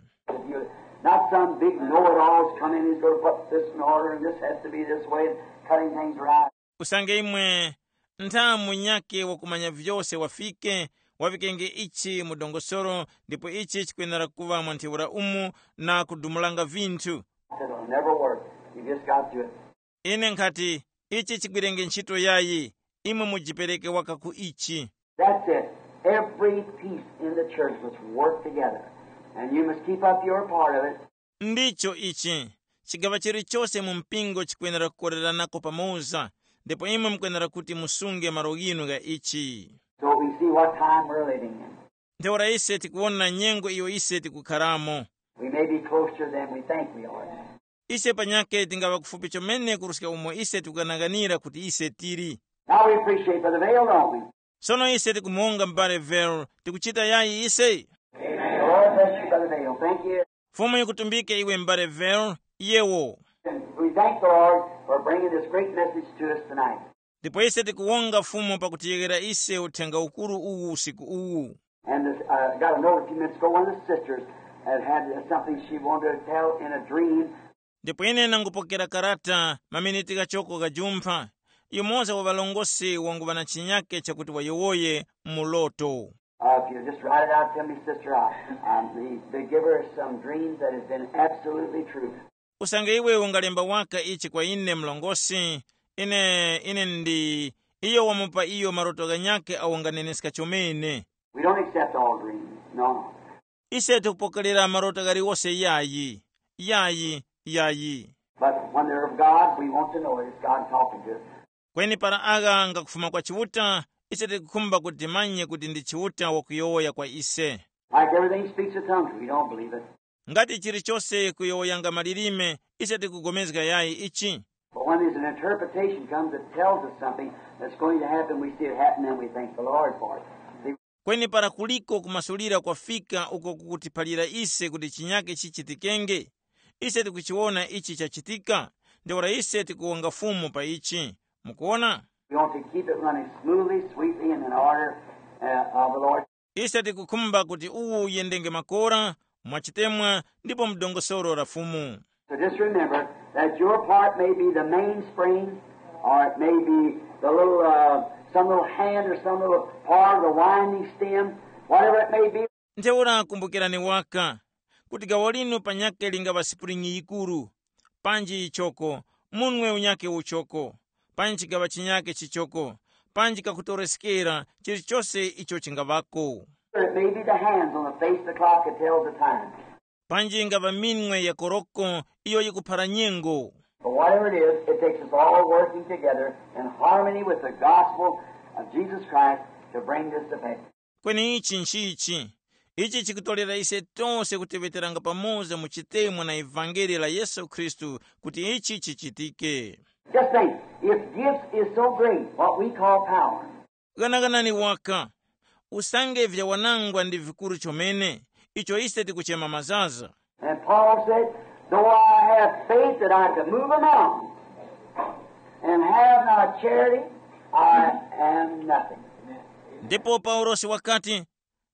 Not some big know-it-alls come in, he's going to put this in order and this has to be this way, and cutting things around. Usange imwe ntha munyakhe wakumanya vyose wafike, waŵikenge ichi mu dongosolo, ndipo ichi chikwenera kuŵa mwa ntheura umu, na kudumulanga vinthu. I said, it'll never work. You just got to do it. Ine nkhati, ichi chigwirenge ntchito yayi, imwe mujipereke waka ku ichi. That's it. Every piece in the church must work together. And you must keep up your part of it. Ndicho ichi. Chigaŵa chilichose mu mpingo chikwenera kukoreranako pamoza, ndipo imwe mukwenera kuti musunge malo ghinu gha ichi. So we see what time we're living in. Ntheura ise tikuwona nyengo iyo ise tikukharamo. We may be closer than we think we are. Ise panyakhe tingaŵa kufupi chomene kuruska umo ise tikughanaganira kuti ise tili. Now we appreciate Brother Vail, don't we? Sono ise tikumuwonga m'bale Vail, tikuchita yayi ise? The Lord bless you, Brother Vail. Thank you. Fumu yikutumbike iwe m'bale Vail, yewo. And we thank the Lord for bringing this great message to us tonight. Ndipo ise tikuwonga Fumu pakutiyeghera ise uthenga ukuru uwu usiku uwu. And this, uh, got a note a few minutes ago, one of the sisters had had something she wanted to tell in a dream. Ndipo ine nangupokera karata maminiti ghachoko ghajumpha, yumoza wa ŵalongosi wanguŵa na chinyake chakuti wayowoye mu loto. Uh, if you just write it out to me, sister, I, I, they, they give her some dreams that has been absolutely true. Usange iwe ungalemba waka ichi kwa ine mlongosi, ine ine ndi iyo wamupa iyo maroto ghanyakhe awo nganeneska chomene. We don't accept all dreams, no. Ise tikupokerera maroto ghaliwose yayi, yayi, yayi. But when they're of God, we want to know it. It's God talking to us. Kweni para agha ngakufuma kwa Chiuta, ise tikukhumba kuti timanye kuti ndi Chiuta wakuyowoya kwa ise. Like everything speaks in tongues, we don't believe it. Ngati chilichose kuyowoyanga malilime, ise tikupulikana yayi ichi. But when there's an interpretation comes that tells us something that's going to happen, we see it happen and we thank the Lord for it. See? Kweni para kuliko kumasulira kwafika uko kukutiphalira ise kuti chinyake chichitikenge, ise tikuchiwona ichi chachitika, ntheura ise tikuwonga Fumu pa ichi. Mukuwona? We want to keep it running smoothly, sweetly, and in order uh, of the Lord. Ise tikukhumba kuti uwu uyendenge makora, mwachitemwa, ndipo mdongosolo la Fumu. So just remember that your part may be the mainspring, or it may be the little, uh, some little hand or some little part of the winding stem, whatever it may be. Ntheura kumbukirani waka kuti gawo linu panyakhe lingaŵa sipulingi yikuru, panji yichoko, munwe unyakhe uchoko, panji chigaŵa chinyakhe chichoko, panji kakutoreskera, chilichose icho chingaŵako. It may be the hands on the face of the clock that tells the time. Panji ingaŵa minwe ya koroko iyo yikuphara nyengo. But whatever it is, it takes us all working together in harmony with the gospel of Jesus Christ to bring this to pass. Kweni ichi nchichi, ichi chikutorera ise tose kutiŵeteranga pamoza mu chitemwa na ivangeli la Yesu Khristu kuti ichi chichitike. Just think, if gifts is so great, what we call power. Ghanaganani waka, usange vyawanangwa ndi vikuru chomene, icho ise tikuchema mazaza. And Paul said, though I have faith that I could move a mountain and have not charity, I am nothing. Ndipo Paulosi wakati,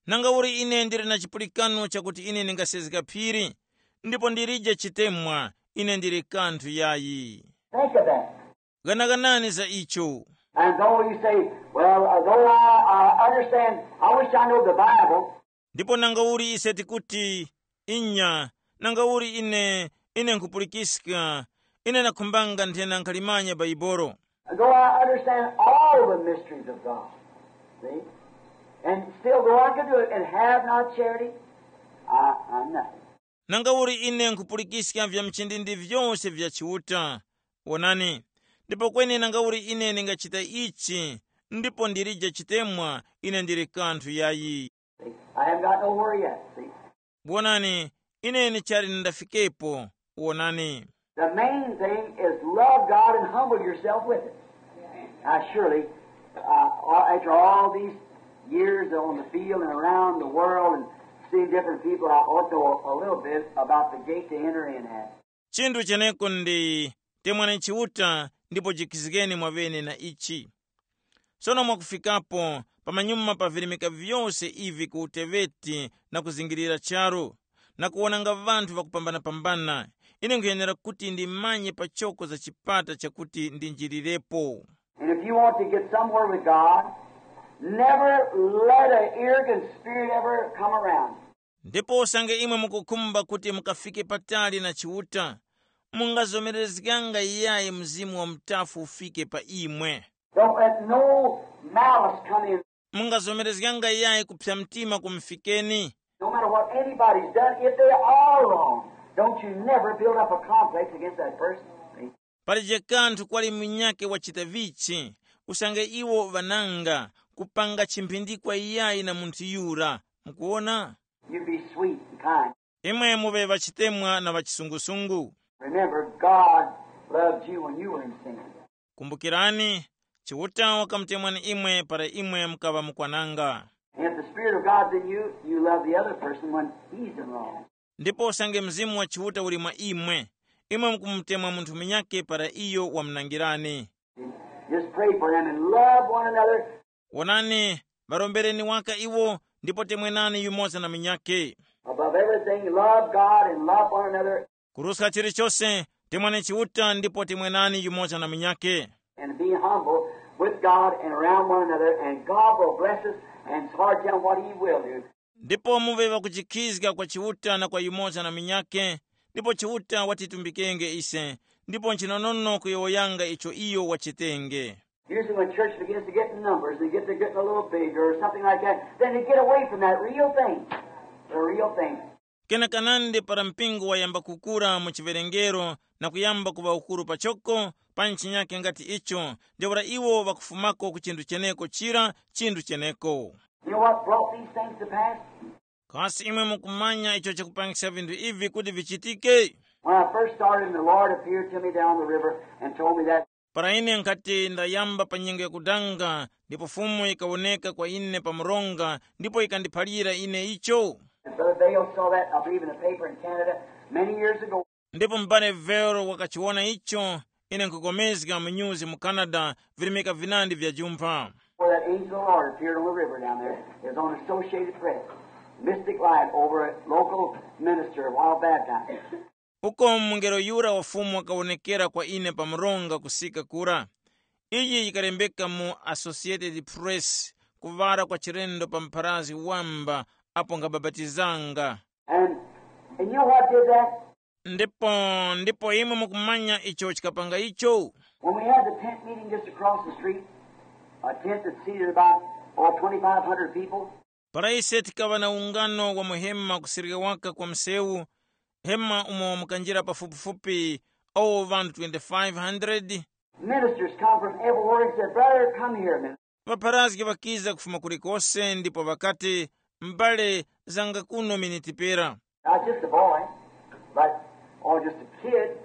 nanga uli ine ndili na chipulikano chakuti ine ndingasezga phiri, ndipo ndilije chitemwa, ine ndili kanthu yayi. Think of that. Ghanaganani za icho. And though you say, well, uh, though I, I understand, I wish I know the Bible. Ndipo nanga uli ise tikuti, inya, nanga uli ine, ine nkhupulikiska, ine nakhumbanga nthena nkhalimanya Baibolo. Though I understand all the mysteries of God, see? And still, though I could do it and have not charity, I, I'm nothing. Nanga uli ine nkhupulikiska vya mchindindi vyose vya Chiuta, wonani, ndipo kweni nanga uli ine ndingachita ichi, ndipo ndilije chitemwa, ine ndili kanthu yayi. See? I haven't got nowhere yet, see? Wonani, ine ndichali ndafikepo, wonani. The main thing is love God and humble yourself with it. Now, surely, uh, after all these years on the field and around the world and Seeing different people, I ought to know a little bit about the gate to enter in at. Chinthu cheneko ndi temwani Chiuta ndipo jikizgeni mwaŵene na ichi. Sono mwakufikapo pamanyuma pa virimika vyose ivi ku uteweti na kuzingirira charu, na kuwonanga ŵanthu ŵakupambana-pambana, ine nkhuyenera kuti ndimanye pachoko za chipata chakuti ndinjirirepo. And if you want to get somewhere with God, never let an arrogant spirit ever come around. Ndipo usange imwe mukukhumba kuti mukafike patali na Chiuta, mungazomerezganga yayi mzimu wa mutafu ufike pa imwe. Don't let no malice come in. Mungazomerezganga yayi kuphya mtima kumufikeni. No matter what anybody's done, if they are wrong, don't you never build up a complex against that person. See? Palije kanthu kwali munyakhe wachita vichi, usange iwo ŵananga kupanga chimphindikwa iyayi na munthu yura. Mukuwona? You be sweet and kind. Imwe muŵe ŵachitemwa na ŵachisungusungu. Remember, God loved you when you were in sin. Kumbukirani, Chiuta wakamutemwani imwe para imwe mukaŵa mukwananga. And if the Spirit of God's in you, you love the other person when he's in wrong. Ndipo usange Mzimu wa Chiuta uli mwa imwe, imwe mukumutemwa munthu munyakhe para iyo wamunangirani. Just pray for them and love one another. Wonani, ŵarombereni waka iwo, ndipo temwenani yumoza na munyakhe. Above everything, love God and love one another. Kuruska chilichose, temwani Chiuta ndipo temwenani yumoza na munyakhe. And be humble with God and around one another, and God will bless us, and it's hard to tell what He will do. Ndipo muŵe ŵakujikhizga kwa Chiuta na kwa yumoza na munyakhe, ndipo Chiuta watitumbikenge ise, ndipo nchinonono kuyowoyanga icho iyo wachitenge. Usually when church begins to get in numbers and get to getting a little bigger or something like that, then they get away from that real thing, the real thing. Kenakanandi para mpingo wayamba kukura mu chiwerengero na kuyamba kuŵa ukuru pachoko, pa nchinyake ngati icho, ntheura iwo ŵakufumako ku chinthu cheneko chira, chinthu cheneko. You know what brought these things to pass? Kasi imwe mukumanya icho chakupangisa vinthu ivi kuti vichitike? When I first started and the Lord appeared to me down the river and told me that. Para ine nkhati ndayamba pa nyengo yakudanga, ndipo Fumu yikawoneka kwa ine pa mronga, ndipo yikandiphalira ine icho. And Brother Bale saw that, I believe, in the paper in Canada many years ago. Ndipo m'bale Vero wakachiwona icho, ine nkupulikana mu nyuzi mu Canada, virimika vinandi vya jumpha. Where that angel of the Lord appeared on the river down there. It was on Associated Press. Mystic light over a local minister while baptized. Uko mungelo yura wa Fumu wakawonekera kwa ine pa mronga kusika kura. Iyi yikalembeka mu Associated Press, kuŵala kwa chilendo pa mpharazgi wamba apo nkhabapatizanga. And, and you know what did that? Ndipo, ndipo imwe mukumanya icho chikapanga icho? When we had the tent meeting just across the street, a tent that seated about, oh, twenty-five hundred people. Para ise tikaŵa na ungano wa muhema kusirika waka kwa msewu, hema umo mukanjira pafupifupi awo ŵanthu twenty-five hundred. Ministers come from everywhere and said, "Brother, come here a minute." Ŵapharazgi ŵakiza kufuma kulikose ndipo ŵakati, "M'bale, zanga kuno miniti pera." I was just a boy, but, or just a kid.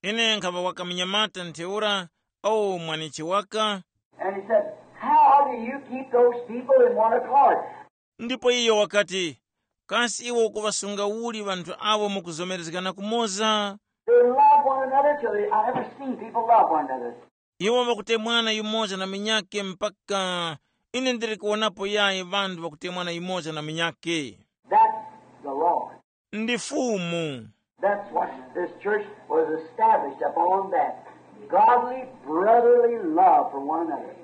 Ine nkhaŵa waka munyamata ntheura, awo mwanichi waka. And he said, "How do you keep those people in one accord?" Ndipo iyo wakati, "Kasi iwe ukuŵasunga uli ŵanthu awo mukuzomerezgana kumoza?" They love one another till they, I never seen people love one another. Iwo ŵakutemwana yumoza na munyakhe mpaka ine ndili kuwonapo yayi ŵanthu ŵakutemwana yumoza na munyakhe. That's the Lord. Ndi Fumu. That's what this church was established upon, that godly, brotherly love for one another.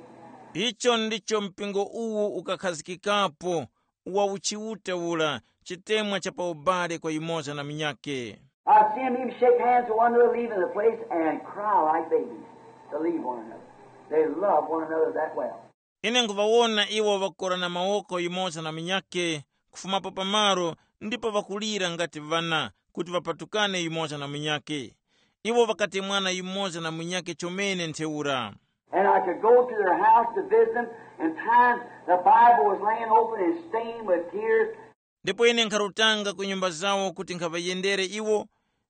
Icho ndicho mpingo uwu ukakhazikikapo, wa uchiuta ura, chitemwa cha pa ubale kwa yumoza na munyakhe. I see him even shake hands with one another leaving the place and cry like babies to leave one another. They love one another that well. Ine nkhuŵawona iwo ŵakukorana mawoko yumoza na munyakhe, kufumapo pamaro ndipo ŵakulira ngati ŵana kuti ŵapatukane yumoza na munyakhe. Iwo ŵakatemwana yumoza na munyakhe chomene ntheura. And I could go to their house to visit them, and times the Bible was laying open and stained with tears. Ndipo ine nkharutanga ku nyumba zawo kuti nkhaŵayendere iwo,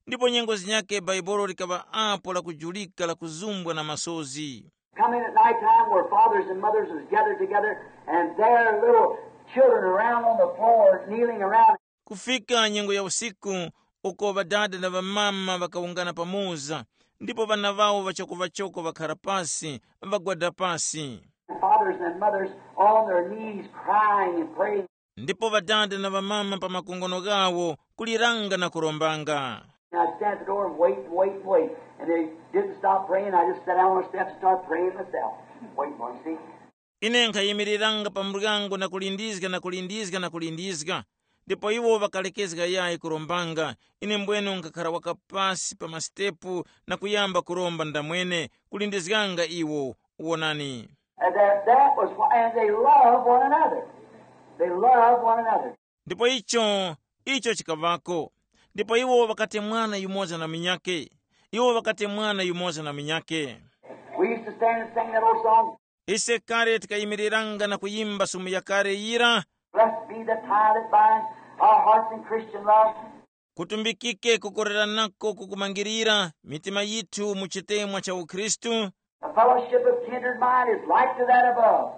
ndipo nyengo zinyakhe Bhaibuli likaŵa apo lakujulika lakuzumbwa na masozi. Coming at night time where fathers and mothers was gathered together, and their little children around on the floor kneeling around. Kufika nyengo ya usiku, uko ŵadada na ŵamama ŵakawungana pamoza, ndipo ŵana ŵawo ŵachokoŵachoko ŵakhara pasi, ŵagwada pasi. Fathers and mothers on their knees crying and praying. Ndipo ŵadada na ŵamama pa makongono ghawo kuliranga na kurombanga. And I stand at the door and wait and wait and wait. And they didn't stop praying. I just sat down on the steps and started praying myself. Waiting for him, see? Ine nkhayimiriranga pa muryango na kulindizga na kulindizga na kulindizga, ndipo iwo ŵakalekezga yayi kurombanga. Ine mbwene nkhakhara waka pasi pa masitepu na kuyamba kuromba ndamwene, kulindizganga iwo. Wonani. And that, that was why, and they love one another. They love one another. Ndipo icho, icho chikaŵako. Ndipo iwo ŵakatemwana yumoza na munyakhe. Iwo ŵakatemwana yumoza na munyakhe. We used to stand and sing that old song. Ise kale tikayimiriranga na kuyimba sumu yakale yira. Blessed be the tie that binds our hearts in Christian love. Kutumbikike kukoreranako kukumangirira mitima yithu mu chitemwa cha ukhristu. The fellowship of kindred mind is like to that above.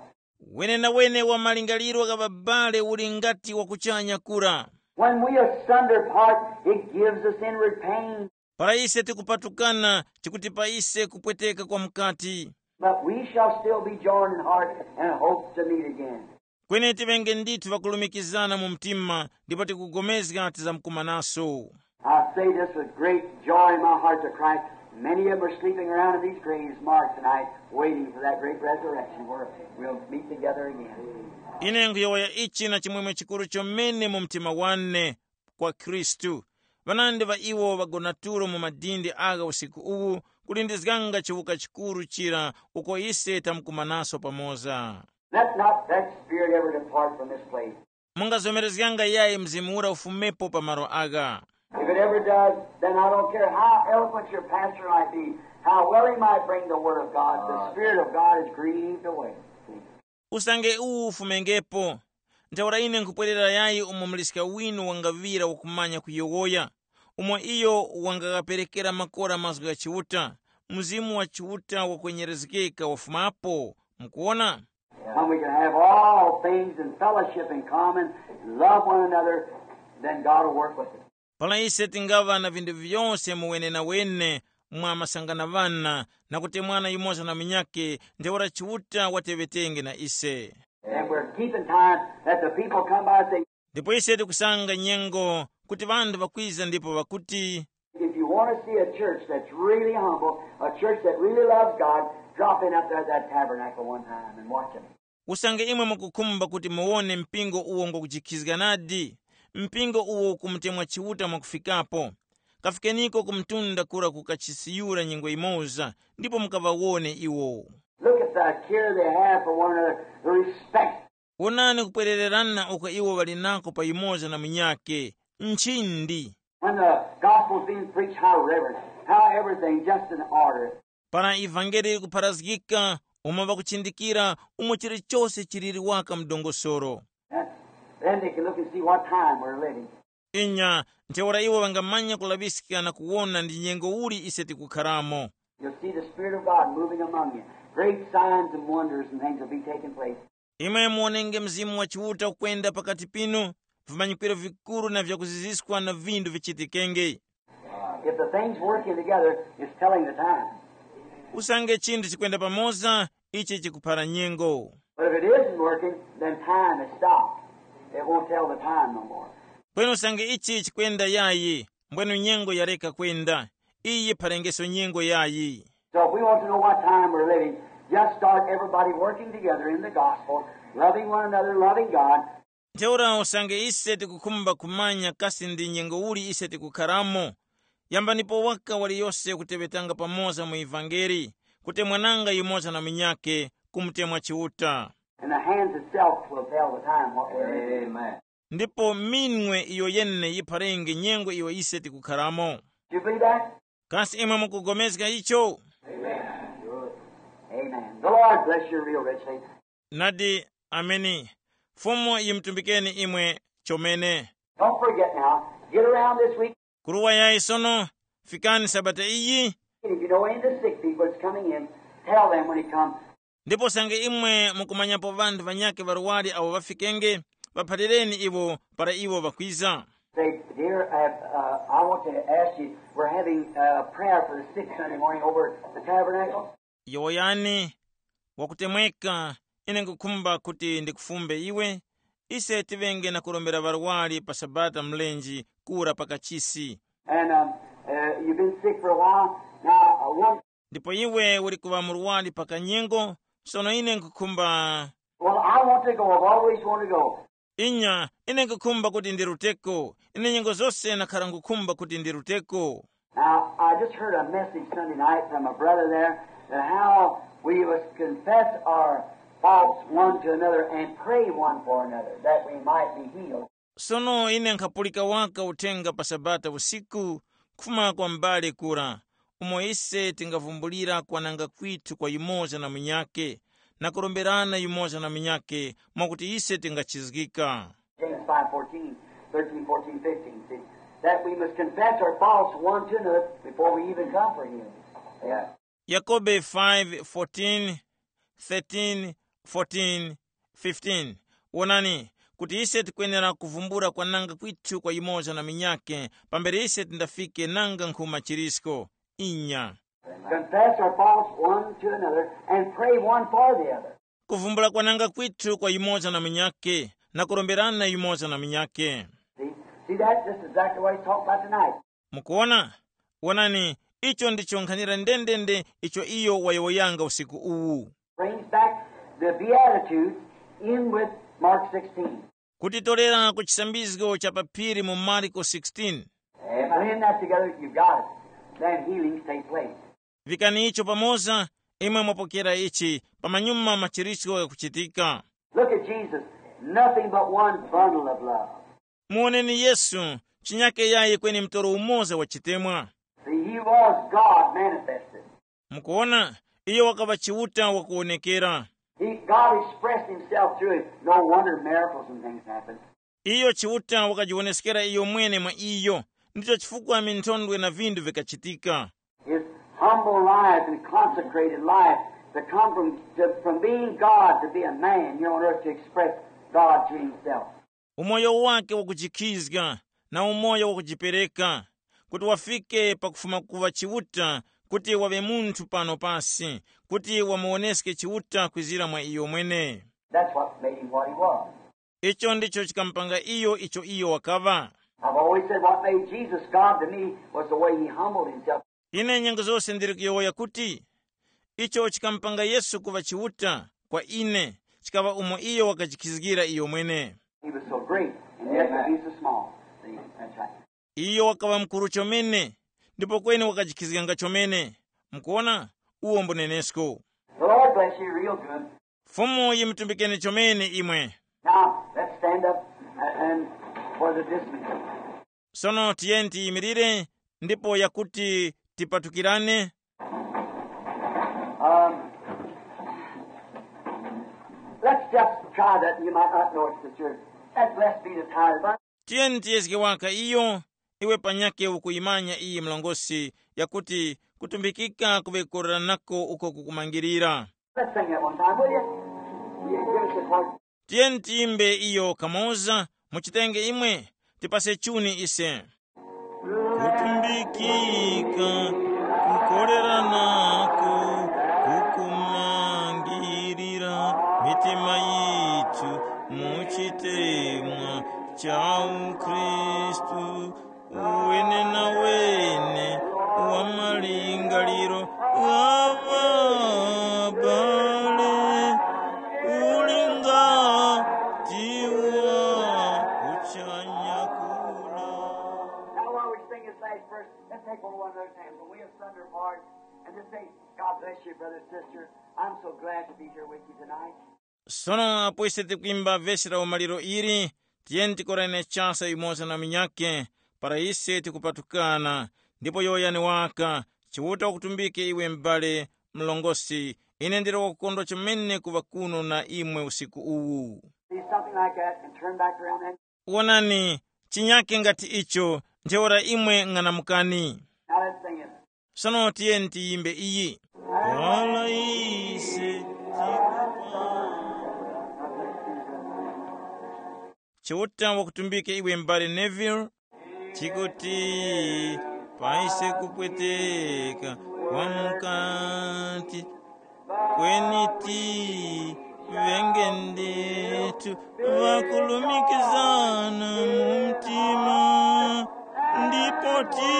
Wenenawene wa malingaliro gha babale uli ngati wa kuchanya kura. When we asunder part, it gives us inward pain. Para ise tikupatukana, chikutipa ise kupweteka kwa mukati. But we shall still be joined in heart and hope to meet again. Kweni tiŵenge ndithu ŵakulumikizana mu mtima, ndipo tikugomezga tizamkumanaso. I say this with great joy in my heart to Christ. Many of them are sleeping around in these graves marked tonight, waiting for that great resurrection where we'll meet together again. Ine nkhuyowoya ichi na chimwemwe chikuru chomene mu mtima wane kwa Khristu. Ŵanandi ŵa iwo ŵagona tulo mu madindi agha usiku uwu, kulindizganga chiwuka chikuru chira uko ise tamkumanaso pamoza. Let not that spirit ever depart from this place. Mungazomerezganga yayi mzimu ura ufumepo pa malo agha. If it ever does, then I don't care how eloquent your pastor might be, how well he might bring the word of God, the Spirit of God is grieved away. Usange uwu ufumengepo. Ntheura ine nkhupwerera yayi umo muliska winu wangaŵira wakumanya kuyowoya, umo iyo wangaghaperekera makora mazgu gha Chiuta, Mzimu wa Chiuta wakwenyerezgeka wafumapo. Mukuwona? When we can have all things in fellowship in common, love one another, then God will work with us. Para ise tingaŵa na vinthu vyose mu wenenawene mwa masanganavana na kutemwana yumoza na munyakhe, ntheura Chiuta wateŵetenge na ise. And we're keeping time that the people come by and say, Ndipo ise tikusanga nyengo kuti ŵanthu ŵakwiza ndipo ŵakuti, If you want to see a church that's really humble, a church that really loves God, drop in up there at that tabernacle one time and watch it. Usange imwe mukukhumba kuti muwone mpingo uwo ngwakujikhizganadi, mpingo uwo ukumutemwa Chiuta mwakufikapo, kafikeniko ku mtunda kura ku kachisi yura nyengo imoza, ndipo mukaŵawone iwo. Look at the care they have for one another, the respect. Wonani kupwerererana uko iwo ŵali nako pa yumoza na munyakhe, nchindi. When the gospel's being preached, how reverent, how everything just in order. Para ivangeli likupharazgika, umo ŵakuchindikira, umo chilichose chiliri waka mdongosoro. Then they can look and see what time we're living. Inya, ntheura iwo ŵangamanya kulaŵiska na kuwona ndi nyengo uli ise tikukharamo. You'll see the Spirit of God moving among you. Great signs and wonders and things will be taking place. Imwe muwonenge Mzimu wa Chiuta ukwenda pakati pinu, vimanyikwiro vikuru na vyakuziziskwa na vindu vichitikenge. If the things working together is telling the time. Usange chinthu chikwenda pamoza, ichi chikuphara nyengo. But if it isn't working, then time is stopped. It won't tell the time no more. Kweni usange ichi chikwenda yayi, mbwenu nyengo yareka kwenda, iyi phalengeso nyengo yayi. So if we want to know what time we're living, just start everybody working together in the gospel, loving one another, loving God. Ntheura usange ise tikukhumba kumanya kasi ndi nyengo uli ise tikukharamo, yambanipo waka waliyose kuteŵetanga pamoza mu ivangeli, kutemwananga yumoza na munyakhe, kumutemwa Chiuta. And the hands itself will tell the time what we're in. Amen. Ndipo minwe iyo yene yipharenge nyengo iyo ise tikukharamo. Do you believe that? Kasi imwe mukugomezga icho? Amen. The Lord bless you real richly. Nadi, ameni. Fumu yimutumbikeni imwe chomene. Don't forget now. Get around this week. Kuruwa yayi sono, fikani sabata iyi. And if you know any of the sick people that's coming in, tell them when he comes. Ndipo sange imwe mukumanyapo ŵanthu ŵanyakhe ŵarwari awo ŵafikenge, ŵaphalireni iwo para iwo ŵakwiza. Say, dear, uh, uh, I want to ask you, we're having uh, prayer for the sick Sunday morning over at the tabernacle. Yowoyani, wakutemweka, ine nkukhumba kuti ndikufumbe iwe. Ise tiŵenge na kurombera ŵarwari pa Sabata mlenji kura pa kachisi. And um, uh, you've been sick for a while. Now, uh, one, Ndipo iwe uli kuŵa murwari pa kanyengo. Sono ine nkukhumba. Well, I want to go. I've always wanted to go. Inya, ine nkukhumba kuti ndiruteko. Ine nyengo zose nakhara nkukhumba kuti ndiruteko. Now, I just heard a message Sunday night from a brother there that how we must confess our faults one to another and pray one for another that we might be healed. Sono ine nkhapulika waka uthenga pa Sabata usiku kufuma kwa m'bale kura, umo ise tingavumbulira kwananga kwithu kwa yumoza na munyakhe, na kuromberana yumoza na munyakhe, mwakuti ise tingachizgika. James five fourteen, thirteen, fourteen, fifteen. See, that we must confess our faults one to another before we even come for healing. Yeah. Yakobe five fourteen, thirteen, fourteen, fifteen. Wonani, kuti ise tikwenera kuvumbula kwananga kwithu kwa yumoza na munyakhe, pambere ise tindafike nanga nkhuma chirisko. Inya. Confess our faults one to another and pray one for the other. Kuvumbula kwananga kwithu kwa yumoza na munyakhe, na kuromberana yumoza na munyakhe. See, see that? This is exactly what he's talking about tonight. Mukuona? Wonani, icho ndicho nkhanira ndendende icho iyo wayowoyanga usiku uwu. Brings back the Beatitudes in with Mark sixteen. Kutitorera ku chisambizgo cha paphiri mu Marko sixteen. Blend that together, you've got it. Then healings take place. Vikani icho pamoza, imwe mwapokera ichi, pamanyuma machiritso ghakuchitika. Look at Jesus, nothing but one bundle of love. Muwoneni Yesu, chinyake yayi kweni mtoro umoza wa chitemwa. See, he was God manifested. Mukuona, iyo wakaŵa Chiuta wakuwonekera. He, God expressed himself through it. No wonder miracles and things happen. Iyo Chiuta wakajiwoneskera iyo mwene mwa iyo, ndicho chifukwa minthondwe na vindu vikachitika. His humble life and consecrated life to come from, to, from being God to be a man here on earth to express God to himself. Umoyo wake wakujikhizga na umoyo wakujipereka, kuti wafike pakufuma kuŵa Chiuta, kuti waŵe munthu pano pasi, kuti wamuwoneske Chiuta kwizira mwa iyo mwene. That's what made him what he was. Icho ndicho chikamupanga iyo icho iyo wakaŵa. I've always said what made Jesus God to me was the way he humbled himself. Ine nyengo zose ndiri kuyowoya kuti icho chikamupanga Yesu kuŵa Chiuta kwa ine, chikaŵa umo iyo wakajikhizgira iyo mwene. He was so great, and yet he was so small. See, that's right. Iyo wakaŵa mukuru chomene, ndipo kweni wakajikhizganga chomene. Mukuona? Uwo mbunenesko. The Lord bless you real good. Fumu yimutumbikeni chomene imwe. Now, let's stand up and, and for the dismissal. Sono tiyeni tiyimirire ndipo yakuti tipatukirane. Um, let's just try that. You might not know it, sister. That blessed be the tithe. Tiyeni tiyezge waka iyo, iwe panyakhe ukuyimanya iyi mlongosi, yakuti kutumbikika kuŵe kukoreranako uko kukumangirira. Let's sing that one time, will you? Will you give us a chord? Tiyeni tiyimbe iyo kamoza, muchitenge imwe, tipase chuni ise. Kutumbikika, kukoreranako, kukumangirira mitima yithu mu chitemwa cha uKristu, uwene na wene wa malingaliro gha ŵabale, uli ngati wa kuchanya kura. Now, while we sing this last verse, let's take one of another's hands. Will we asunder apart and just say, God bless you, brother, sister. I'm so glad to be here with you tonight. Sono apo ise tikwimba vesi la umaliro ili, tiyeni tikorane chasa yumoza na munyakhe, para ise tikupatukana, ndipo yowoyani waka, Chiuta wakutumbike iwe m'bale mlongosi, ine ndili wakukondwa chomene kuŵa kuno na imwe usiku uwu. See something like that and turn back around then. Wonani, chinyake ngati icho, ntheura imwe ng'anamukani. Now let's sing it. Sono tiyeni tiyimbe iyi. Para ise tikupa. Chiuta wakutumbike iwe m'bale Neville. Tikuti paise kupweteka kwa mukati, kweni ti ŵenge ndithu ŵakulumikizana mu mtima, ndipo ti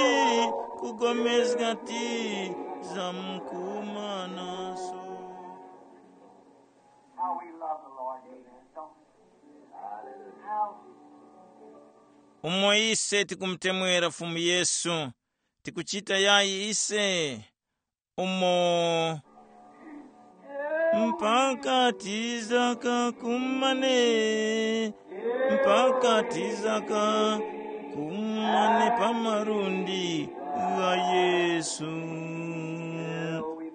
kugomezga ti za mkumanaso. How we love the Lord, amen. Don't we? How umo ise tikumutemwera Fumu Yesu, tikuchita yayi ise umo mpaka tizaka kumane, mpaka tizaka kumane pa malundi gha Yesu.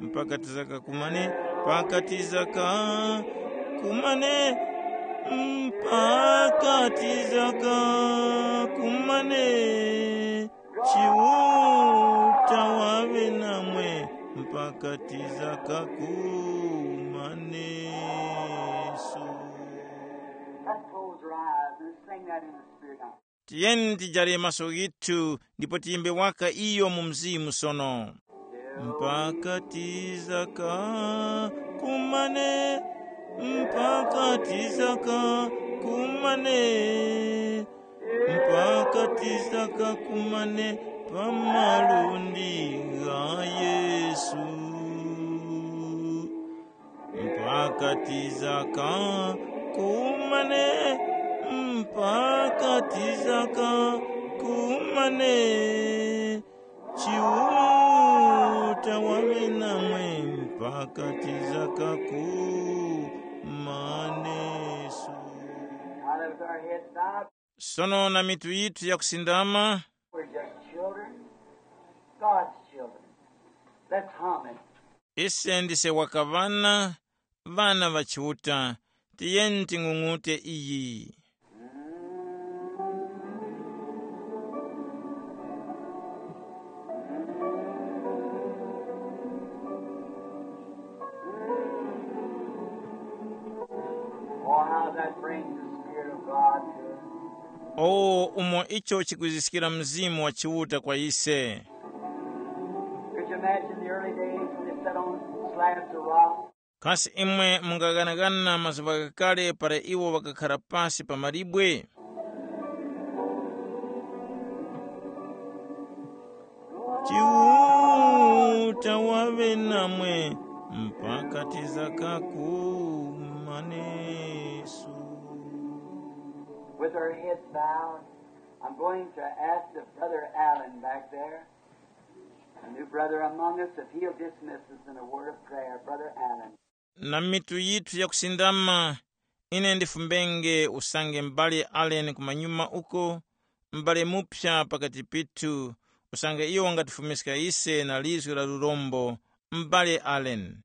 Mpaka tizaka kumane, mpaka tizaka kumane, mpaka tizaka kumane. Chiuta waŵe namwe mpaka tizaka kumaneso. Let's close our eyes and sing that in the Spirit now. Tiyeni tijare maso ghithu ndipo tiyimbe waka iyo mu mzimu sono. Mpaka tizaka kumane, mpaka tizaka kumane, mpaka tizaka kumane pa malundi gha Yesu. Mpaka tizaka kumane, mpaka tizaka kumane. Chiuta waŵe namwe mpaka tizaka kumaneso. Now let our heads bowed. Sono na mitu yithu yakusindama. We're just children, God's children. Let's hum it. Ise ndise waka ŵana, ŵana ŵa Chiuta. Tiyeni ting'ung'ute iyi. Oh, how that brings the Spirit of God to us. O, umo icho chikwiziskira Mzimu wa Chiuta kwa ise. Could you imagine the early days when they sat on slabs of rock? Kasi imwe mungaghanaghana mazuŵa ghakale para iwo ŵakakhara pasi pa malibwe? Chiuta waŵe namwe mpaka tizaka kumaneso. With our heads bowed, I'm going to ask the Brother Allen back there, a new brother among us, if he'll dismiss us in a word of prayer. Brother Allen. Na mitu yithu yakusindama, ine ndifumbenge usange m'bale Allen kumanyuma uko, m'bale muphya pakati pithu, usange iyo wangatifumiska ise na lizgu la lurombo, m'bale Allen.